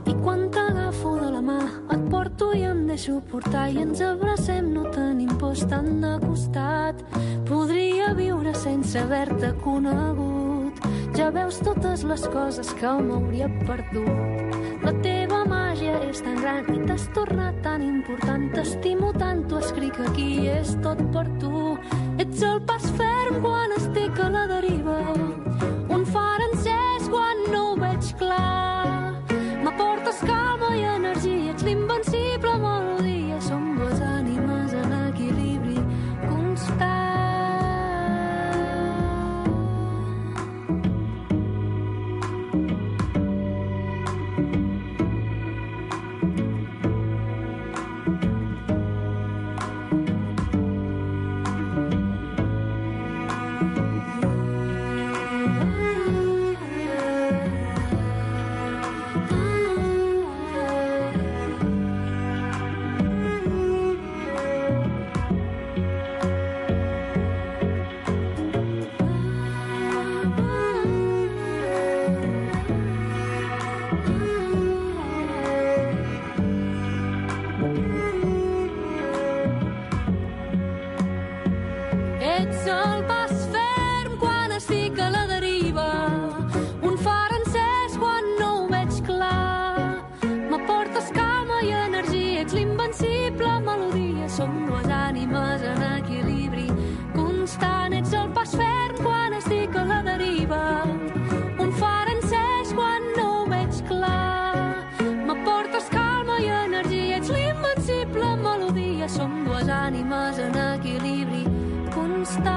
I quan t'agafo de la mà, et porto i em deixo portar i ens abracem, no tenim por estant de costat. Podria viure sense haver-te conegut. Ja veus totes les coses que m'hauria perdut. La teva màgia és tan gran i t'has tornat tan important. T'estimo tant, t'ho escric aquí, és tot per tu. Ets el pas ferm quan estic a la deriva, un far encès quan no ho veig clar. M'aportes calma i energia, ets l'invencible melodia. Som dues ànimes en equilibri constant. Ets el pas ferm quan estic a la deriva, un far encès quan no ho veig clar. M'aportes calma i energia, ets l'invencible melodia. Som dues ànimes en equilibri constant. Ets el pas ferm quan estic a la deriva, un far encès quan no ho veig clar. M'aportes calma i energia, ets l'invencible melodia. Som dues ànimes en equilibri constant.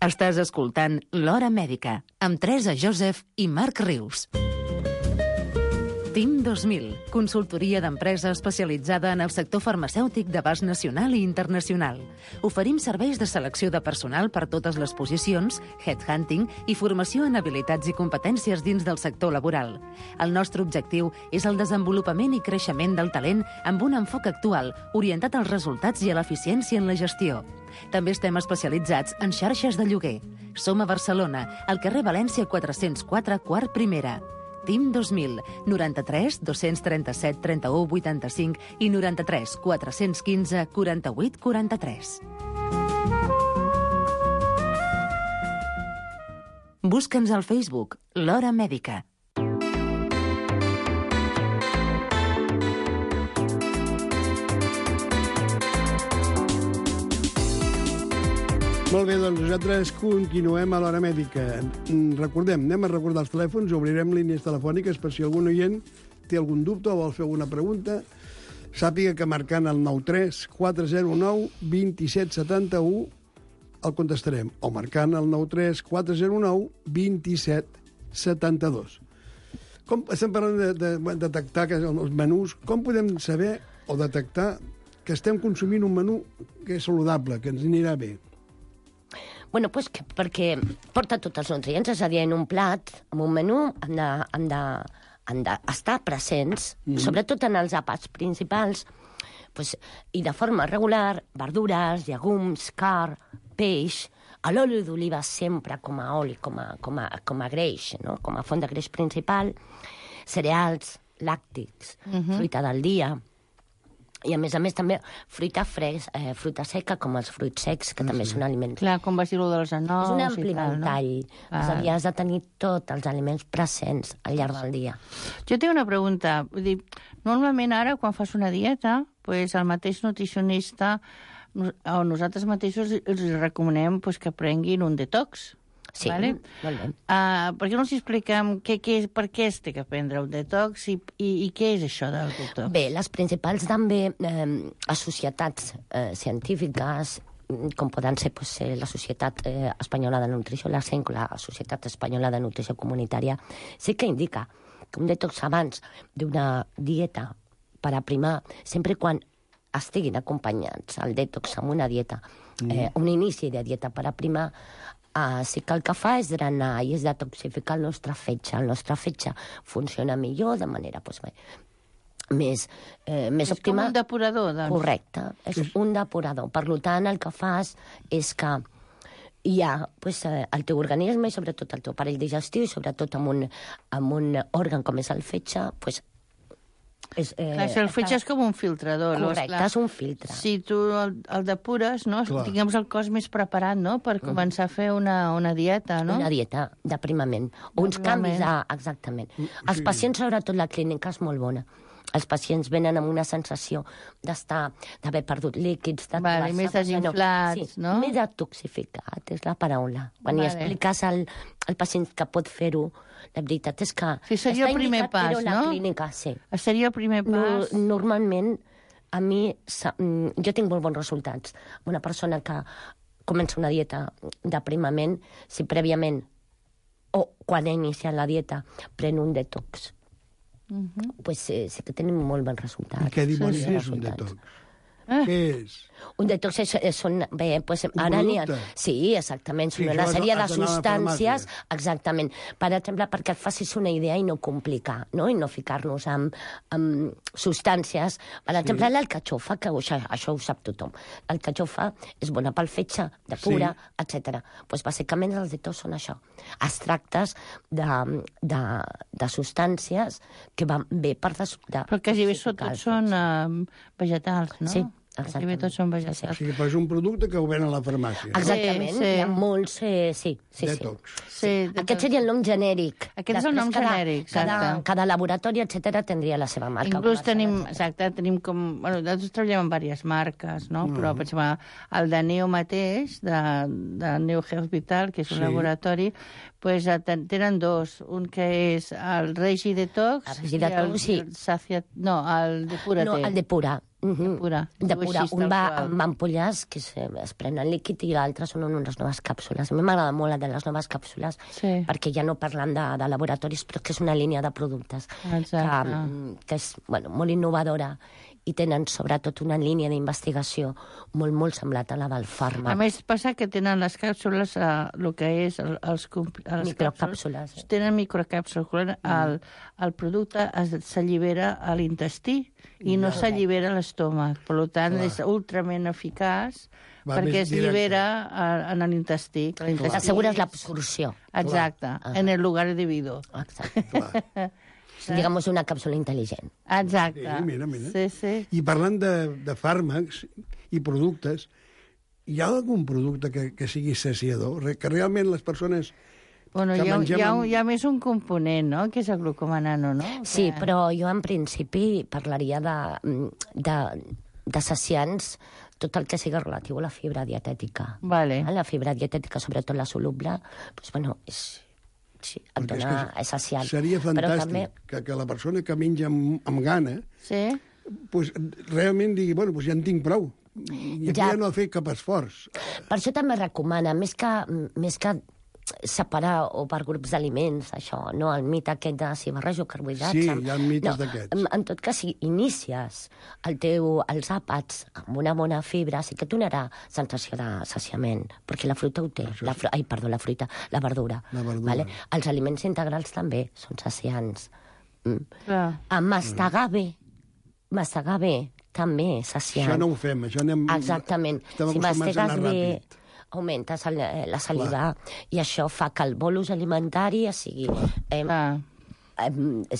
Estàs escoltant L'Hora Mèdica amb Teresa Joseph i Marc Rius. T I M dos mil, consultoria d'empresa especialitzada en el sector farmacèutic d'abast nacional i internacional. Oferim serveis de selecció de personal per totes les posicions, headhunting i formació en habilitats i competències dins del sector laboral. El nostre objectiu és el desenvolupament i creixement del talent amb un enfoc actual, orientat als resultats i a l'eficiència en la gestió. També estem especialitzats en xarxes de lloguer. Som a Barcelona, al carrer València quatre-cents quatre, quart primera. T I M dos mil, noranta-tres dos-cents trenta-set trenta-u vuitanta-cinc i noranta-tres quatre-cents quinze quaranta-vuit quaranta-tres. Busca'ns al Facebook, l'Hora Mèdica. Molt bé, doncs nosaltres continuem a l'Hora Mèdica. Recordem, anem a recordar els telèfons, obrirem línies telefòniques per si algun oient té algun dubte o vol fer alguna pregunta. Sàpiga que marcant el nou tres quatre zero nou dos set set u el contestarem, o marcant el nou tres quatre zero nou dos set set dos. Com, estem parlant de, de, de detectar que els menús. Com podem saber o detectar que estem consumint un menú que és saludable, que ens anirà bé? Bueno, pues que, perquè porta tots els nutrients, és a dir, en un plat, en un menú, han de, han de, han d'estar presents, mm. sobretot en els àpats principals, pues, i de forma regular, verdures, llegums, carn, peix, l'oli d'oliva sempre com a oli, com a, com a, com a greix, no? Com a font de greix principal, cereals, làctics, mm-hmm. fruita del dia, i a més a més també fruita fresc, eh, fruita seca, com els fruits secs, que ah, també sí. són aliments. Clar, com vas dir-ho dels anous. És un ampli ventall. No? És a dir, has de tenir tots els aliments presents al llarg del dia. Jo tinc una pregunta. Vull dir, normalment ara, quan fas una dieta, pues, el mateix nutricionista o nosaltres mateixos els recomanem pues, que prenguin un detox. Sí, vale? molt bé. Uh, per què no ens expliquem què, què, per què es té que prendre un detox i, i, i què és això del detox? Bé, les principals també eh, societats eh, científiques, com poden ser pues, la Societat eh, Espanyola de Nutrició, la S E N C, la Societat Espanyola de Nutrició Comunitària, sí que indica que un detox abans d'una dieta per aprimar, sempre quan estiguin acompanyats el detox amb una dieta, eh, un inici de dieta per aprimar, Uh, sí que el que fa és drenar i és detoxificar el nostre fetge. El nostre fetge funciona millor, de manera pues, més, eh, més és òptima. És com un depurador, doncs. Correcte, és sí. un depurador. Per tant, el que fas és que hi ha pues, el teu organisme i sobretot el teu aparell digestiu i sobretot amb un, amb un òrgan com és el fetge, pues, És, eh, clar, el fetge és com un filtrador. Correcte, és un filtre. Si tu el, el depures, no? Tinguem el cos més preparat, no?, per començar a fer una, una dieta, no? Una dieta d'aprimament. Uns canvis, a, exactament. Sí. Els pacients, sobretot la clínica, és molt bona. Els pacients venen amb una sensació d'estar, d'haver perdut líquids, de vale, més desinflats, sí, no? Més detoxificat, és la paraula. Quan vale. Hi expliques al, al pacient que pot fer-ho, la veritat és que... Sí, seria el primer pas, però no? La clínica, sí. Seria el primer pas. No, normalment, a mi, jo tinc molt bons resultats. Una persona que comença una dieta d'aprimament, si prèviament o quan ha iniciat la dieta pren un detox, uh-huh. pues eh, sí que tenim molt bons resultats. I què dimonis sí, és un detox? Ah. Què és? Un detox és, és, són... Bé, pues, un ara n'hi ha... producte? Sí, exactament. Són sí, una sèrie de substàncies... La exactament. Per exemple, perquè et facis una idea i no complicar, no? I no ficar-nos amb, amb substàncies. Per exemple, sí. l'alcatxofa, que això, això ho sap tothom. L'alcatxofa és bona pel fetge, de pura, sí. etcètera. Pues, bàsicament, els detox són això. Extractes de, de, de substàncies que van bé per... Des, de, Però quasi bé tots són uh, vegetals, no? Sí. Quasi bé tots són vegetals. O sigui, és un producte que ho ven a la farmàcia. Exactament, sí, sí. Hi ha molts... Eh, sí, sí, detox. sí. sí detox. Aquest seria el nom genèric. Aquest és el nom cada, genèric, exacte. Cada, cada laboratori, etcètera, tindria la seva marca. Inclús tenim, exacte, tenim com... Bueno, nosaltres treballem amb diverses marques, no? Mm. Però, per exemple, el de Neo mateix, de, de Neo Health Vital, que és un sí. laboratori, pues, tenen dos. Un que és el Regi Detox, el Regi Detox, sí. El Saciat... No, el Depura-te. No, el Depura. de pura. De pura. Un va amb ampolles que es, es prenen líquid i l'altre són unes noves càpsules. A mi m'agrada molt la de les noves càpsules sí. perquè ja no parlen de, de laboratoris, però que és una línia de productes que, que és bueno, molt innovadora i tenen sobretot una línia d'investigació molt, molt semblat a la del fàrmac. A més, passa que tenen les càpsules, eh, el que és el, els, els microcàpsules. Càpsules, tenen microcàpsules. Mm. El, el producte s'allibera a l'intestí i no s'allibera a l'estómac. Per tant, clar. És ultrament eficaç va perquè es llibera a, en l'intestí. Assegures l'absorció. Exacte, ah. en el lugar debido. Exacte. Digamos una càpsula intel·ligent. Exacte. Sí, mira, mira. Sí, sí. I parlant de, de fàrmacs i productes, hi ha algun producte que, que sigui saciador? Que realment les persones bueno, que hi ha, mengem... Hi ha, hi ha més un component, no?, que és el glucoma nano, no? Sí, que... però jo en principi parlaria de, de, de saciants tot el que sigui relatiu a la fibra dietètica. Vale. La fibra dietètica, sobretot la soluble, doncs, bueno, és... Sí, et dona, és, és saciant. Seria fantàstic també... que, que la persona que menja amb, amb gana sí? pues, realment digui, bueno, pues ja en tinc prou. I aquí ja... ja no ha fet cap esforç. Per això també recomana, més que, més que separar o per grups d'aliments, això, no? El mite aquest de si barrejo carbohidrats... Sí, amb... hi ha mites no, d'aquests. En, en tot cas, si inicies el teu, els àpats amb una bona fibra, sí que et donarà sensació de saciament, perquè la fruita ho té. La fru... Ai, perdó, la fruita, la verdura. La verdura. Vale? Els aliments integrals també són saciants. Mm. Clar. A mastegar bé, mastegar bé, també és saciant. Això no ho fem, això anem... Exactament. Estem si acostumats a anar bé, ràpid. augmentes el, la saliva clar. I això fa que el bolus alimentari sigui, eh, eh,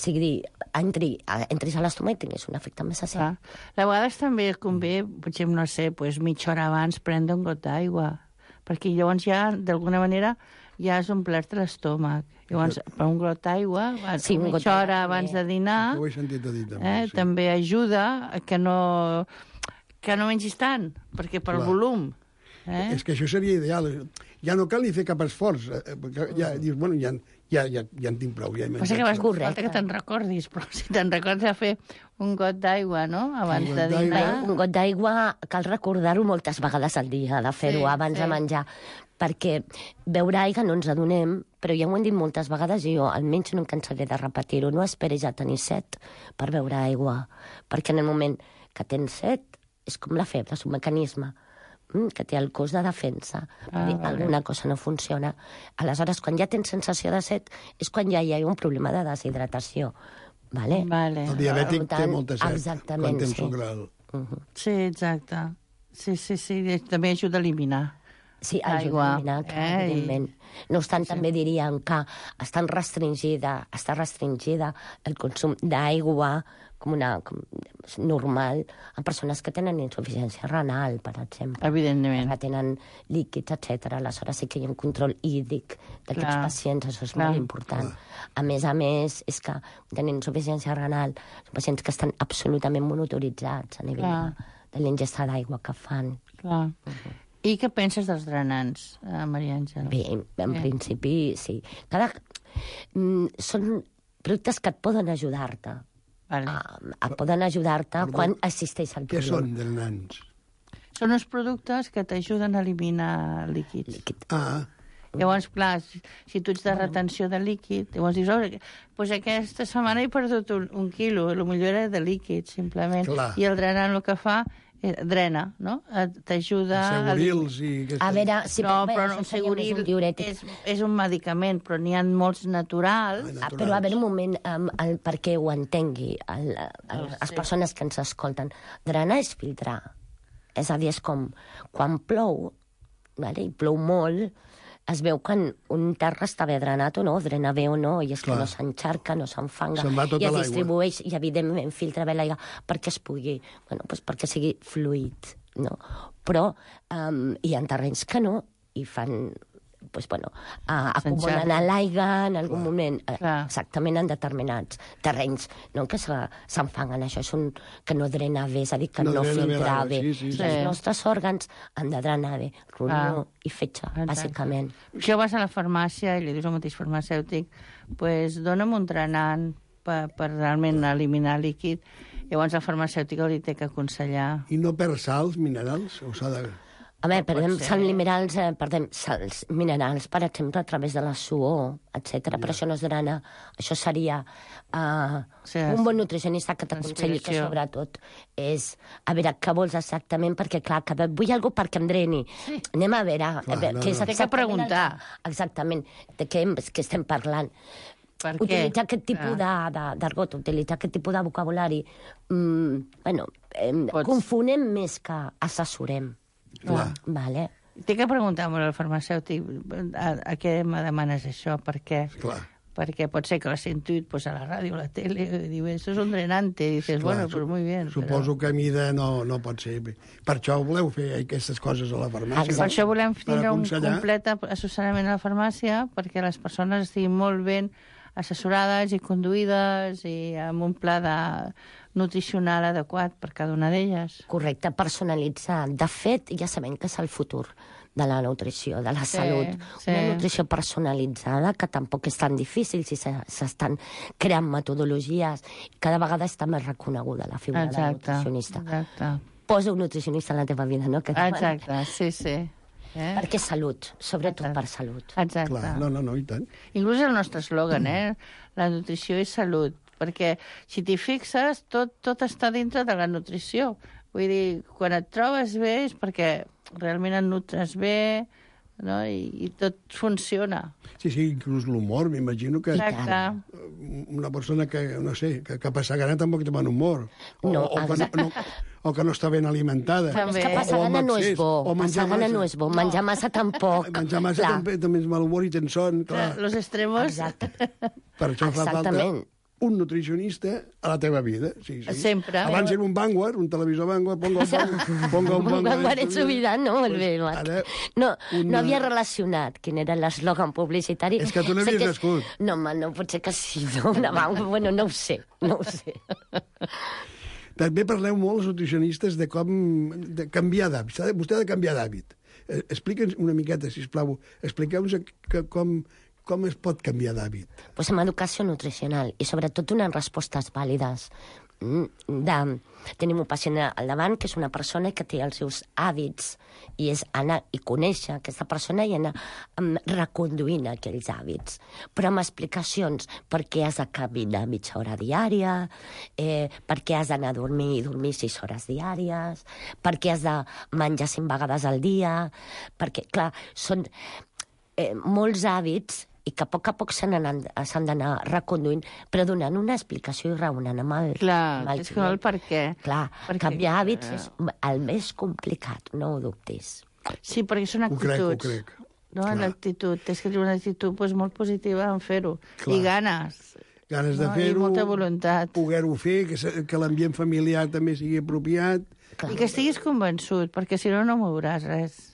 sigui entri, entris a l'estómac i tinguis un efecte més saciant. A vegades també convé, potser, no sé, pues, mitja hora abans prendre un got d'aigua, perquè llavors ja, d'alguna manera, ja has omplert l'estómac. Llavors, per un got d'aigua, sí, un mitja hora abans de dinar, ho he sentit a dir, també, eh, sí. també ajuda a que no, que no mengis tant, perquè per el volum. Eh? És que això seria ideal. Ja no cal ni fer cap esforç. Perquè ja dius, bueno, ja, ja, ja, ja en tinc prou. Ja Passa que vas falta que te'n recordis, però si te'n recordes de fer un got d'aigua, no?, abans de dinar. Un got d'aigua cal recordar-ho moltes vegades al dia, de fer-ho sí, abans sí. de menjar, perquè beure aigua no ens adonem, però ja ho hem dit moltes vegades i jo almenys no em cansaré de repetir-ho. No esperis a tenir set per beure aigua, perquè en el moment que tens set és com la febre, és un mecanisme que té el cos de defensa. Ah, dir, vale. Alguna cosa no funciona. Aleshores, quan ja tens sensació de set, és quan ja hi ha un problema de deshidratació. Vale? Vale. El diabètic tant, té molta set exactament, quan té sí. sucre. Uh -huh. Sí, exacte. Sí, sí, sí. També ajuda a eliminar. Sí, ajuda a eliminar, clar, eh? Evidentment. No obstant, sí. també diríem que està restringida, està restringida el consum d'aigua com una com, normal a persones que tenen insuficiència renal, per exemple. Evidentment. Que tenen líquids, etcètera. Aleshores sí que hi ha un control hídric d'aquests pacients, això és clar. Molt important. Clar. A més a més, és que tenen insuficiència renal, són pacients que estan absolutament monitoritzats a nivell clar. de, de l'ingesta d'aigua que fan. Clar. Uh -huh. I què penses dels drenants, eh, Maria Àngela? Bé, en Bé. principi, sí. Cada... Mm, són productes que et poden ajudar-te. Vale. A, a poden ajudar-te quan assisteix al problema. Què són drenants? Són uns productes que t'ajuden a eliminar líquids. Líquid. Ah. Llavors, clar, si, si tu ets de retenció de líquid, llavors dius, oh, pues aquesta setmana he perdut un, un quilo, potser era de líquid, simplement. Clar. I el drenant el que fa drena, no? T'ajuda... Segurils i... A veure, si no, però un seguril un és, és un medicament, però n'hi ha molts naturals. Ah, naturals. Però a veure un moment, um, el, perquè ho entengui, el, el, oh, les sí. persones que ens escolten. Drenar és filtrar. És a dir, és com quan plou, vale? I plou molt, es veu quan un terra està bé drenat o no, drena bé o no, i és Clar. que no s'enxarca, no s'enfanga, tota i es distribueix, i evidentment filtra bé l'aigua perquè es pugui, bueno, doncs perquè sigui fluid, no? Però um, hi ha terrenys que no, i fan... Pues, bueno, uh, acumulen a l'aigua en algun Clar. moment, uh, exactament en determinats terrenys, no que s'enfangen, això és un que no drena bé, és a dir, que no, no filtra bé. bé. Sí, sí, sí. Els nostres òrgans han de drenar bé, ronyó i fetge, Exacte. bàsicament. Si vas a la farmàcia i li dius al mateix farmacèutic, pues, dona'm un drenant per, per realment eliminar líquid, Llavors el farmacèutic li té que aconsellar. I no perd sals, minerals? O s'ha de... A veure, perdem ser. sals minerals, eh, perdem sals minerals, per exemple, a través de la suor, etcètera. Però això no és drana. Això seria uh, Sí, un bon nutricionista que t'aconselli que, transpiració. sobretot, és a veure què vols exactament, perquè, clar, que vull alguna perquè em dreni. Sí. Anem a veure, Clar, a veure no, què és no. Té que exactament preguntar. el- Exactament, de què, hem- què estem parlant. Per què? Utilitzar aquest tipus de, de, d'argot, utilitzar aquest tipus de vocabulari, mm, bueno, eh, Pots- confonem més que assessorem. Clar. Vale. Té que preguntar molt al farmacèutic a, a què me demanes això, per què? Clar. Perquè pot ser que l'has sentit pues, a la ràdio, a la tele, i diu, això és un drenante, i dices, Clar, bueno, pues muy bien. Suposo que a mida no, no pot ser. Per això voleu fer aquestes coses a la farmàcia. Per això volem Per tindre un aconsellar. complet assessorament a la farmàcia perquè les persones estiguin molt ben assessorades i conduïdes i amb un pla de nutricional adequat per cada una d'elles. Correcte, personalitzar. De fet, ja sabem que és el futur de la nutrició, de la Sí, salut. sí. Una nutrició personalitzada, que tampoc és tan difícil si se- s'estan creant metodologies. Cada vegada està més reconeguda la figura del Exacte, nutricionista. exacte. Posa un nutricionista en la teva vida, no? Que Exacte, sí, sí. Eh? Perquè és salut, sobretot Exacte. per salut. Exacte. Clar, no, no, no, i tant. Inclús el nostre eslògan, eh? La nutrició és salut. Perquè si t'hi fixes, tot, tot està dintre de la nutrició. Vull dir, quan et trobes bé és perquè realment et nutres bé, no? I, i tot funciona. Sí, sí, inclús l'humor, m'imagino que Exacte. una persona que, no sé, que, que passa gana tampoc té bon humor. O, No, o, que no, no, o que no està ben alimentada. També. És que Bé. passar O amb gana no és excés, bo. o menjar Passar gana massa. no és bo. Menjar massa tampoc. Menjar massa Clar. també, també és mal humor i tens son, clar. Los extremos... Exacte. Per això fa falta Exactament. un nutricionista a la teva vida. Sí, sí. Sempre. Abans era un Vanguard, un televisor Vanguard, ponga un Vanguard. Ponga un Un Vanguard en su vida, no? Molt bé, Marc. Ara, No, una- no havia relacionat quin era l'eslògan publicitari. És que tu no Sé havies que és- nascut. No, home, no, potser que sí, no? Una van... Bueno, no ho sé, no ho sé. També parleu molt, els nutricionistes, de com de canviar d'hàbit. S'ha de- Vostè ha de canviar d'hàbit. Eh, Explica'ns una miqueta, sisplau. Expliqueu-nos que- com, com es pot canviar d'hàbit. Pues amb educació nutricional i sobretot donant respostes vàlides. Mm, De, tenim un pacient al davant que és una persona que té els seus hàbits i és anar i conèixer aquesta persona i anar um, reconduint aquells hàbits, però amb explicacions per què has de caminar mitja hora diària, eh, per què has d'anar a dormir i dormir sis hores diàries, per què has de menjar cinc vegades al dia, perquè, clar, són eh, molts hàbits i que a poc a poc se n'han- s'han d'anar reconduint, però donant una explicació i raonant amb el, Clar, amb el és que el per què. Clar, Perquè- canviar hàbits és el més complicat, no ho dubtis. Sí, perquè són Ho crec, ho actituds. crec. No, Clar. l'actitud. Tens que tenir una actitud pues, molt positiva en fer-ho. Clar. I ganes. Ganes de No, i fer-ho, molta voluntat. poder-ho fer, que, se- que l'ambient familiar també sigui apropiat. I que estiguis convençut, perquè si no, no mouràs res.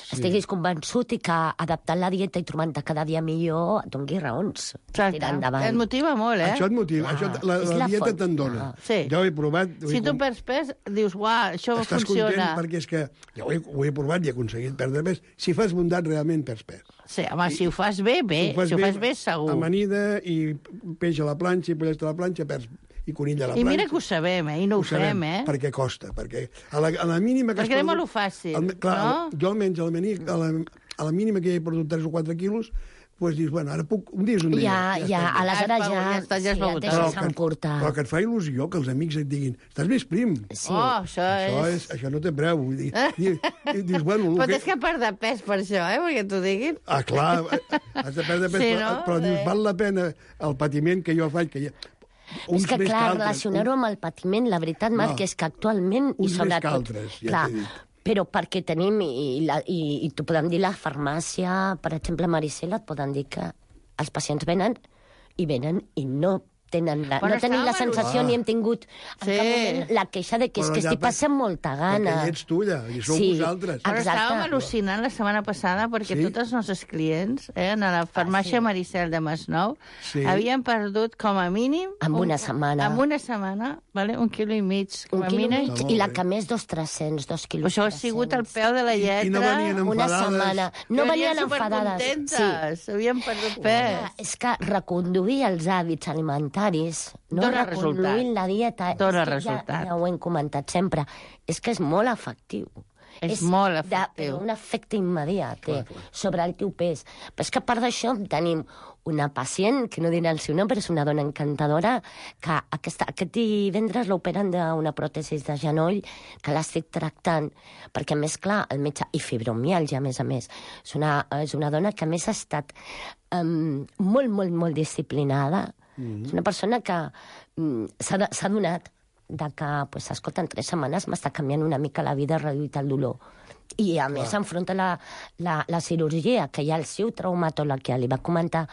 Sí. Estiguis convençut i que adaptant la dieta i trobant-te cada dia millor et doni raons. Exacte. Tirar endavant. Et motiva molt, eh? Això et motiva, Clar, això, la, és la la dieta font. te'n dona. Ah. Sí. Jo ho he provat. ho he Si tu com- perds pes, dius, uah, això Estàs funciona. content perquè és que jo ho he, ho he provat i he aconseguit perdre pes. Si fas bondat, realment perds pes. Sí, home, si ho fas bé, bé. Si ho fas bé, segur. Amanida i peix a la planxa i pollets a la planxa, perds i conill a la I planxa. mira que ho sabem, eh? I no ho, fem, eh? Perquè costa, perquè a la, a la mínima que has Perquè anem a perdut- lo fàcil, al- clar, no? Jo almenys a la, mani- a la, a la mínima que he perdut tres o quatre quilos, doncs dius, bueno, ara puc... Un dia és un dia. Ja, ja, està bé. aleshores Ja, ja, ja està, ja es sí, va et votar. deixes Però que- encurtar. Però que et fa il·lusió que els amics et diguin estàs més prim. Sí. Oh, això, Això, és... és, això no té preu. Vull dir, dius, dius, bueno... el Però que- tens que perdre pes per això, eh? Perquè t'ho diguin. Ah, clar, has de perdre pes, Sí, però, no? però dius, Sí. val la pena el patiment que jo faig, que hi ha... Uns És que, més clar, altres, relacionar-ho amb el patiment, la veritat, Marc, No. és que actualment, i Uns més sobretot... que altres, ja clar, t'he dit. però perquè tenim, i, i, la, i, i t'ho podem dir, la farmàcia, per exemple, Maricela, et poden dir que els pacients venen i venen i no tenen la, Però no tenim la estàvem sensació al- ni hem tingut en Sí. cap moment la queixa de que és Però que ja estic per- passant molta gana. Perquè hi ets tu, allà, i sou Sí. vosaltres. Però Exacte. estàvem al·lucinant la setmana passada perquè Sí? tots els nostres clients eh, a la farmàcia Ah, sí. Maricel de Masnou Sí. havien perdut com a mínim... En un- una setmana. En una setmana, vale? un quilo i mig. Com Un a quilo i mínim. mig, molt i la bé. que més, dos tres-cents, dos quilos. Això ha sigut al peu de la lletra. I no venien Una enfadades. setmana. No venien enfadades. supercontentes. Havien perdut pes. Clar, és que reconduir els hàbits alimentaris sedentaris, no Dóna reconduint resultat. la dieta. Dóna És que resultat. Ja, ja ho hem comentat sempre. És que és molt efectiu. És molt de- efectiu. un efecte immediat té sobre el teu pes. Però és que a part d'això tenim una pacient, que no dirà el seu nom, però és una dona encantadora, que aquesta, aquest divendres l'operen d'una pròtesi de genoll, que l'estic tractant, perquè a més, clar, el metge, i fibromialgia, a més a més, és una, és una dona que a més ha estat um, molt, molt, molt disciplinada. Mm-hmm. És una persona que um, s'ha de- s'ha donat de que, pues, escolta, en tres setmanes m'està canviant una mica la vida, reduït el dolor. I, a més, enfronta la, la, la cirurgia, que ja el seu traumatòleg ja li va comentar,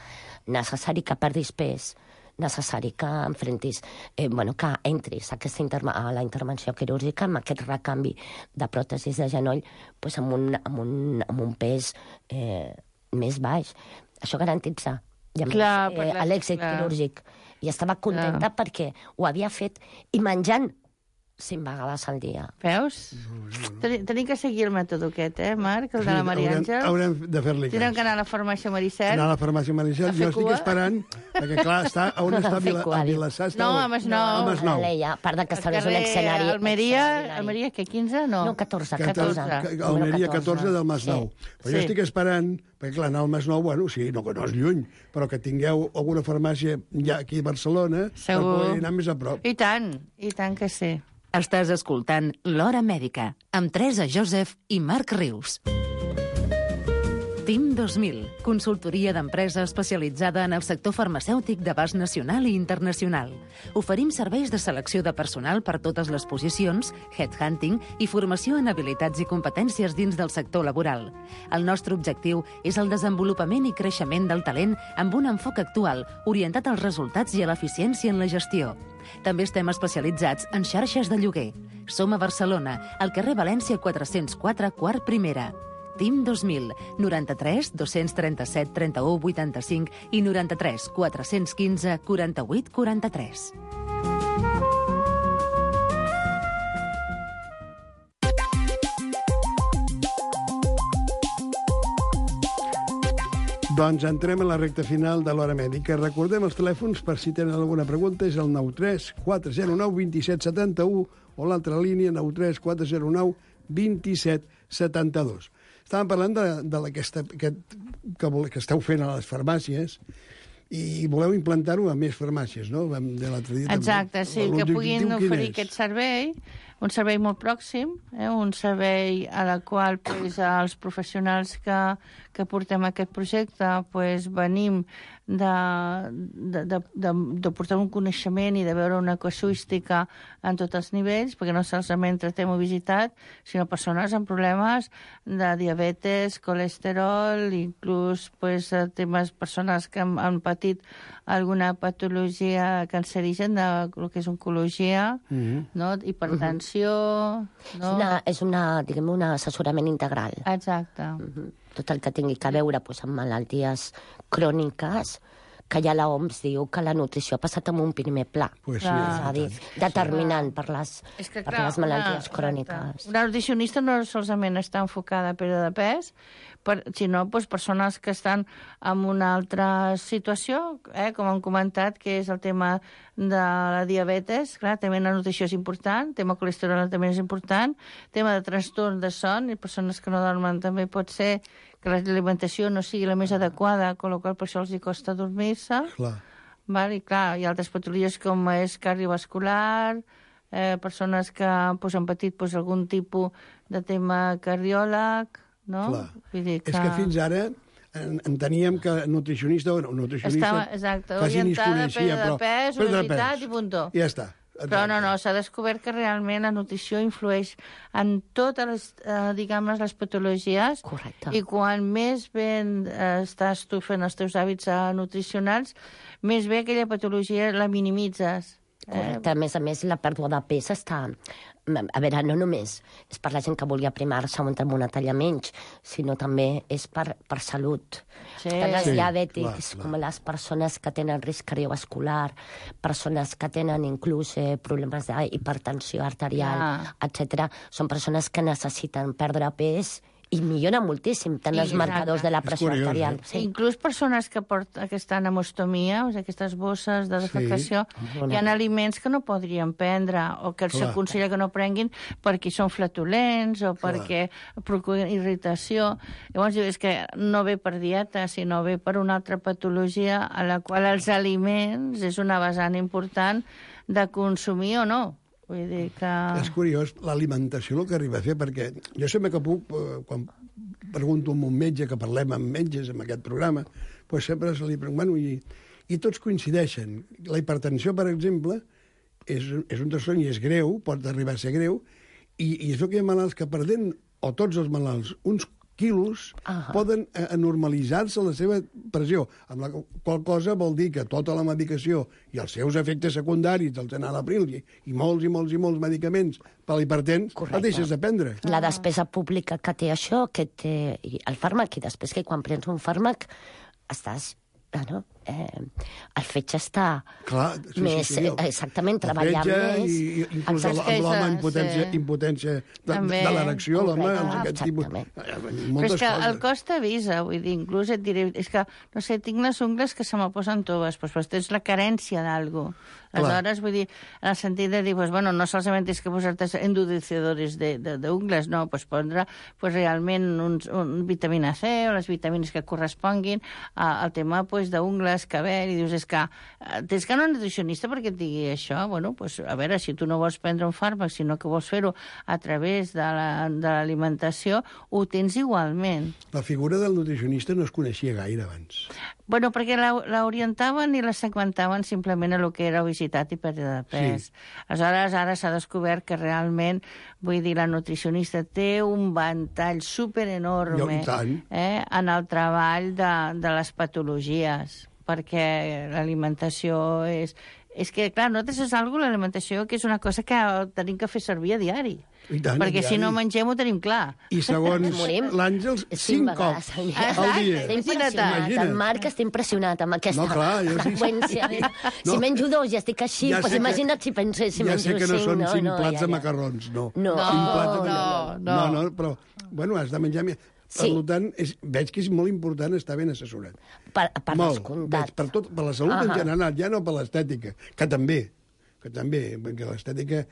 necessari que perdis pes, necessari que enfrontis, eh, bueno, que entris a, aquesta interma a la intervenció quirúrgica amb aquest recanvi de pròtesis de genoll, pues, amb, un, amb, un, amb un pes eh, més baix. Això garantitza i a més, Clar, eh, per la- l'èxit clar. quirúrgic. I estava contenta Clar. perquè ho havia fet i menjant cinc vegades al dia. Veus? Tenim, tenim que seguir el mètode aquest, eh, Marc, el de la Maria haurem, Àngels. haurem de fer-li Tindrem cas. que anar a la farmàcia Maricel. Anar a la farmàcia Maricel. A fer Jo estic cua. esperant, perquè clar, està, on està Fer Vila, cua, a diu. Vilassar? Està No, on- a Masnou. A Masnou. L'Eia, a part de que Al estableix un carrer escenari... Almeria, extraordinari. Almeria, que quinze? No. No, catorze, catorze. catorze. Que- Almeria catorze del Masnou. Sí. Però Sí. jo estic esperant, perquè clar, anar al Masnou, bueno, sí, no, que no és lluny, però que tingueu alguna farmàcia ja aquí a Barcelona per Segur. poder anar més a prop. I tant, i tant que sí. Estàs escoltant L'Hora Mèdica, amb Teresa Joseph i Marc Rius. Team dos mil, consultoria d'empresa especialitzada en el sector farmacèutic d'abast nacional i internacional. Oferim serveis de selecció de personal per totes les posicions, headhunting i formació en habilitats i competències dins del sector laboral. El nostre objectiu és el desenvolupament i creixement del talent amb un enfoc actual orientat als resultats i a l'eficiència en la gestió. També estem especialitzats en xarxes de lloguer. Som a Barcelona, al carrer València quatre-cents quatre, quart primera. Team dos mil, noranta-tres dos-cents trenta-set trenta-u vuitanta-cinc i noranta-tres quatre-cents quinze quaranta-vuit quaranta-tres. Doncs entrem en la recta final de l'Hora Mèdica. Recordem els telèfons per si tenen alguna pregunta. És el nou tres quatre zero nou dos set set u o l'altra línia nou tres quatre zero nou dos set set dos. Estàvem parlant de, de aquesta, aquest, que, vol- que esteu fent a les farmàcies i voleu implantar-ho a més farmàcies, no? Vam- De l'altre dia també. Exacte, sí, que L'objectiu puguin quin oferir és? aquest servei, un servei molt pròxim, eh, un servei a la qual pues, els professionals que, que portem aquest projecte pues, venim de, de, de, de, de portar un coneixement i de veure una casuística en tots els nivells, perquè no solament tractem obesitat, sinó persones amb problemes de diabetes, colesterol, inclús pues, temes, persones que han, han patit alguna patologia cancerigen de el que és oncologia, Mhm. no? Hipertensió... És No? una, és una, diguem, un assessorament integral. Exacte. Mhm. Tot el que tingui a veure pues, amb malalties cròniques, que ja la O M S diu que la nutrició ha passat amb un primer pla. Pues sí, Clar. És a dir, determinant per les, És que, per clar, les malalties una, cròniques. exacte. Una nutricionista no solament està enfocada a pèrdua de pes, per, sinó doncs, persones que estan en una altra situació, eh, com hem comentat, que és el tema de la diabetes. Clar, també la nutrició és important, tema colesterol també és important, tema de trastorn de son, i persones que no dormen també pot ser que l'alimentació no sigui la més adequada, amb la qual per això els hi costa dormir-se. Clar. Val? I clar, hi ha altres patologies com és cardiovascular, eh, persones que pues, han patit pues, algun tipus de tema cardiòleg, no? Clar. Vull dir que... És que fins ara en- enteníem que nutricionista o no, nutricionista Estava, exacte, quasi ni es orientada a coneixia, pèrdua de però pes, pèrdua de obesitat pes. i puntó. I ja està. Però no, no, s'ha descobert que realment la nutrició influeix en totes les, eh, diguem-ne, les patologies. Correcte. I quan més ben eh, estàs tu fent els teus hàbits eh, nutricionals, més bé aquella patologia la minimitzes. Eh? Correcte. A més a més, la pèrdua de pes està... A veure, no només és per la gent que vulgui aprimar-se o entrar en una talla menys, sinó també és per, per salut. Sí. Tant els Sí, diabètics clar, clar. com les persones que tenen risc cardiovascular, persones que tenen inclús eh, problemes d'hipertensió arterial, Ah. etcètera, són persones que necessiten perdre pes i millora moltíssim tant els Exacte. marcadors de la pressió És curiós, arterial. eh? Sí. Inclús persones que, porten, que estan amb ostomia, o sigui, aquestes bosses de defecació, Sí. hi ha aliments que no podrien prendre o que s'aconsella que no prenguin perquè són flatulents o Clar. perquè procuren irritació. Llavors, diu, és que no ve per dieta, sinó ve per una altra patologia a la qual els aliments és una vessant important de consumir o no. Vull dir que... És curiós l'alimentació el que arriba a fer, perquè jo sempre que puc, eh, quan pregunto a un metge, que parlem amb metges en aquest programa, doncs sempre se li pregunto, bueno, i, i tots coincideixen. La hipertensió, per exemple, és, és un trastorn i és greu, pot arribar a ser greu, i, i és el que hi ha malalts que perdent, o tots els malalts, uns quilos, Ah. poden eh, normalitzar-se la seva pressió, amb la qual cosa vol dir que tota la medicació i els seus efectes secundaris del enalapril i, i molts i molts i molts medicaments per l'hipertens, el deixes de prendre. La despesa pública que té això, que té el fàrmac, i després que quan prens un fàrmac estàs... Bueno, eh, el fetge està Clar, sí, més, sí, sí, el- exactament, el treballant fetge més. I, i inclús Exacte. el- amb l'home Sí. impotència, impotència de, També. de l'erecció, l'home, Correcte, els aquest tipus... exactament. eh, Moltes Però és que coses. el cos t'avisa, vull dir, inclús et diré, és que, no sé, tinc les ungles que se me posen toves, doncs, doncs tens la carència d'algú. Aleshores, vull dir, en el sentit de dir, pues, bueno, no solament és que posar-te endurecedores de, de, d'ungles, no, pues, prendre pues, realment uns, un vitamina C o les vitamines que corresponguin a, al tema pues, d'ungles, cabell, i dius, és que eh, tens que anar a un nutricionista perquè et digui això. Bueno, pues, a veure, si tu no vols prendre un fàrmac, sinó que vols fer-ho a través de la, de l'alimentació, ho tens igualment. La figura del nutricionista no es coneixia gaire abans. Bueno, perquè la- l'orientaven i la segmentaven simplement a lo que era obesitat i pèrdua de pes. Sí. Aleshores, ara s'ha descobert que realment, vull dir, la nutricionista té un ventall superenorme I tant. eh, en el treball de, de les patologies, perquè l'alimentació és... És que, clar, nosaltres és algo, l'alimentació, que és una cosa que tenim que fer servir a diari. I tant, perquè a si diari. no mengem ho tenim clar. I segons Morim. l'Àngels, Cinc cinc vegades cops al dia. al dia. Estic Imagina't. impressionat. Imagina't. El Marc està impressionat amb aquesta No, clar, jo sí. freqüència. No. Si menjo dos i estic així, Ja doncs sé que- imagina't si penso si Ja menjo sé que no cinc. són cinc no, plats ja, de ja. macarrons, no. No, Cinc plats de no, macarrons. no. No, no, però, bueno, has de menjar... més. Per Sí. tant, és, veig que és molt important estar ben assessorat. Per, per molt, descomptat. veig, per, tot, per la salut en Ahà. general, ja no per l'estètica, que també, que també, perquè l'estètica,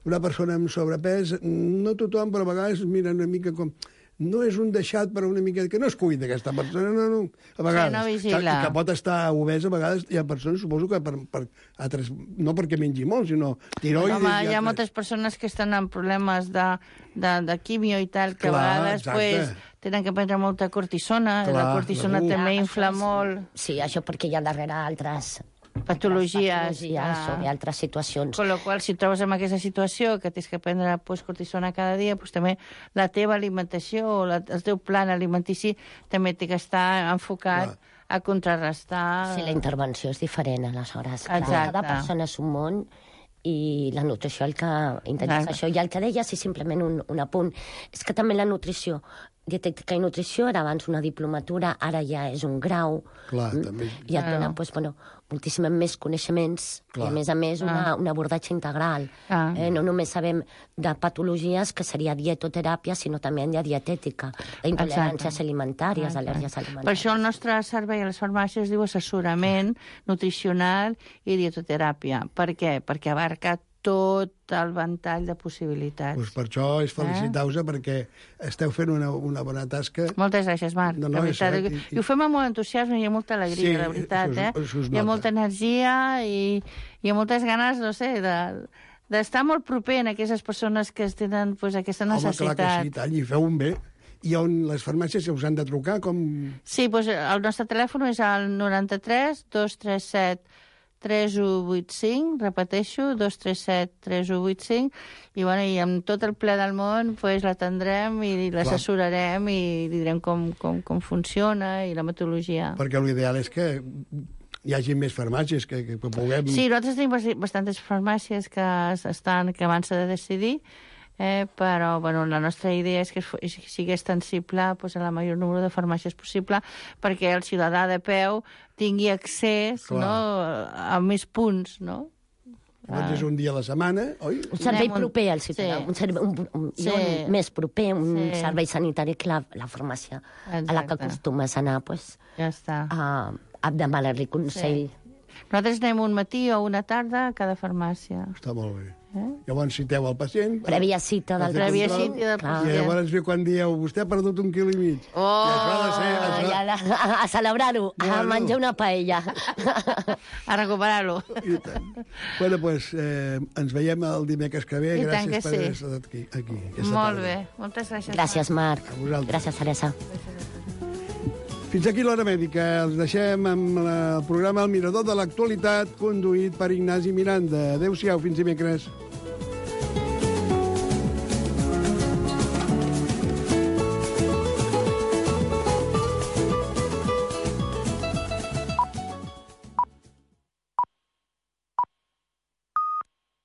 una persona amb sobrepès, no tothom, però a vegades mira una mica com... No és un deixat, però una mica... Que no es cuida aquesta persona, no, no. A vegades. no que, vigila. que pot estar obesa, a vegades hi ha persones, suposo que per, per altres... No perquè mengi molt, sinó tiroides... Home, i hi ha altres. moltes persones que estan amb problemes de, de, de quimio i tal, que Clar, a vegades exacte. pues, tenen que prendre molta cortisona, i la Clar, cortisona segur. també Ah, infla això és- molt Sí, això perquè hi ha darrere altres... patologies. patologies Ah. o altres situacions. Con la qual, si et trobes en aquesta situació que tens que prendre pues, cortisona cada dia, pues, també la teva alimentació o la, el teu plan alimentici també té que estar enfocat Clar. a contrarrestar... Sí, la intervenció és diferent, aleshores. Clar, Exacte. cada persona és un món i la nutrició el que intenta Exacte. és això. I el que deia, sí, simplement un, un apunt, és que també la nutrició, dietètica i nutrició era abans una diplomatura, ara ja és un grau. Clar, Mm? també. I et Claro. dona doncs, bueno, moltíssim més coneixements Clar. i, a més a més, una, Ah. un abordatge integral. Ah. Eh, no només sabem de patologies, que seria dietoteràpia, sinó també de dietètica, d'intoleràncies Exacte. alimentàries, Exacte. al·lèrgies Per alimentàries. això el nostre servei a les farmàcies es diu assessorament nutricional i dietoteràpia. Per què? Perquè abarca tot el ventall de possibilitats. Pues per això és felicitar-vos perquè esteu fent una, una bona tasca. Moltes gràcies, Marc. No, no, de és veritat. cert, i- I ho fem amb molt entusiasme i amb molta alegria, Sí, la veritat. això es- eh? això es Hi ha nota. molta energia i, i moltes ganes, no sé, de d'estar molt proper en aquestes persones que tenen pues, aquesta Home, necessitat. clar que sí, tant, i feu un bé. I on les farmàcies us han de trucar, com... Sí, doncs el nostre telèfon és el noranta-tres dos tres set tres u vuit cinc, repeteixo, dos tres set tres u vuit cinc, i, bueno, i amb tot el ple del món pues, l'atendrem i l'assessorarem i li direm com, com, com funciona i la metodologia. Perquè l'ideal és que hi hagi més farmàcies, que, que puguem... Sí, nosaltres tenim bast- bastantes farmàcies que estan que abans s'ha de decidir, eh, però bueno, la nostra idea és que es- és- sigui extensible pues, a la major número de farmàcies possible perquè el ciutadà de peu tingui accés Clar. no, a més punts, no? Llavors és un dia a la setmana, oi? Un servei Anem un- proper al ciutadà, sí. un servei un, un, Sí. un més proper, un Sí. servei sanitari que la, la farmàcia a la que Exacte. acostumes a anar, pues, Ja està. a, a demanar-li consell. Nosaltres anem un matí o una tarda a cada farmàcia. Està molt bé. Llavors citeu el pacient... Prèvia cita del Prèvia control, cita del Clar. I llavors ve quan dieu, vostè ha perdut un quilo i mig. Oh! I això ha de ser... Ah, Això... ja, la, a, a celebrar-ho, a Bueno. menjar una paella. A recuperar-lo. I tant. Bueno, doncs, eh, ens veiem el dimecres que ve. I tant Gràcies que per sí. haver estat aquí. aquí aquesta Molt tarda. bé. Moltes gràcies. Gràcies, Marc. A vosaltres. Gràcies, Teresa. Fins aquí l'Hora Mèdica. Els deixem amb la, el programa El Mirador de l'Actualitat, conduït per Ignasi Miranda. Adéu-siau, fins dimecres.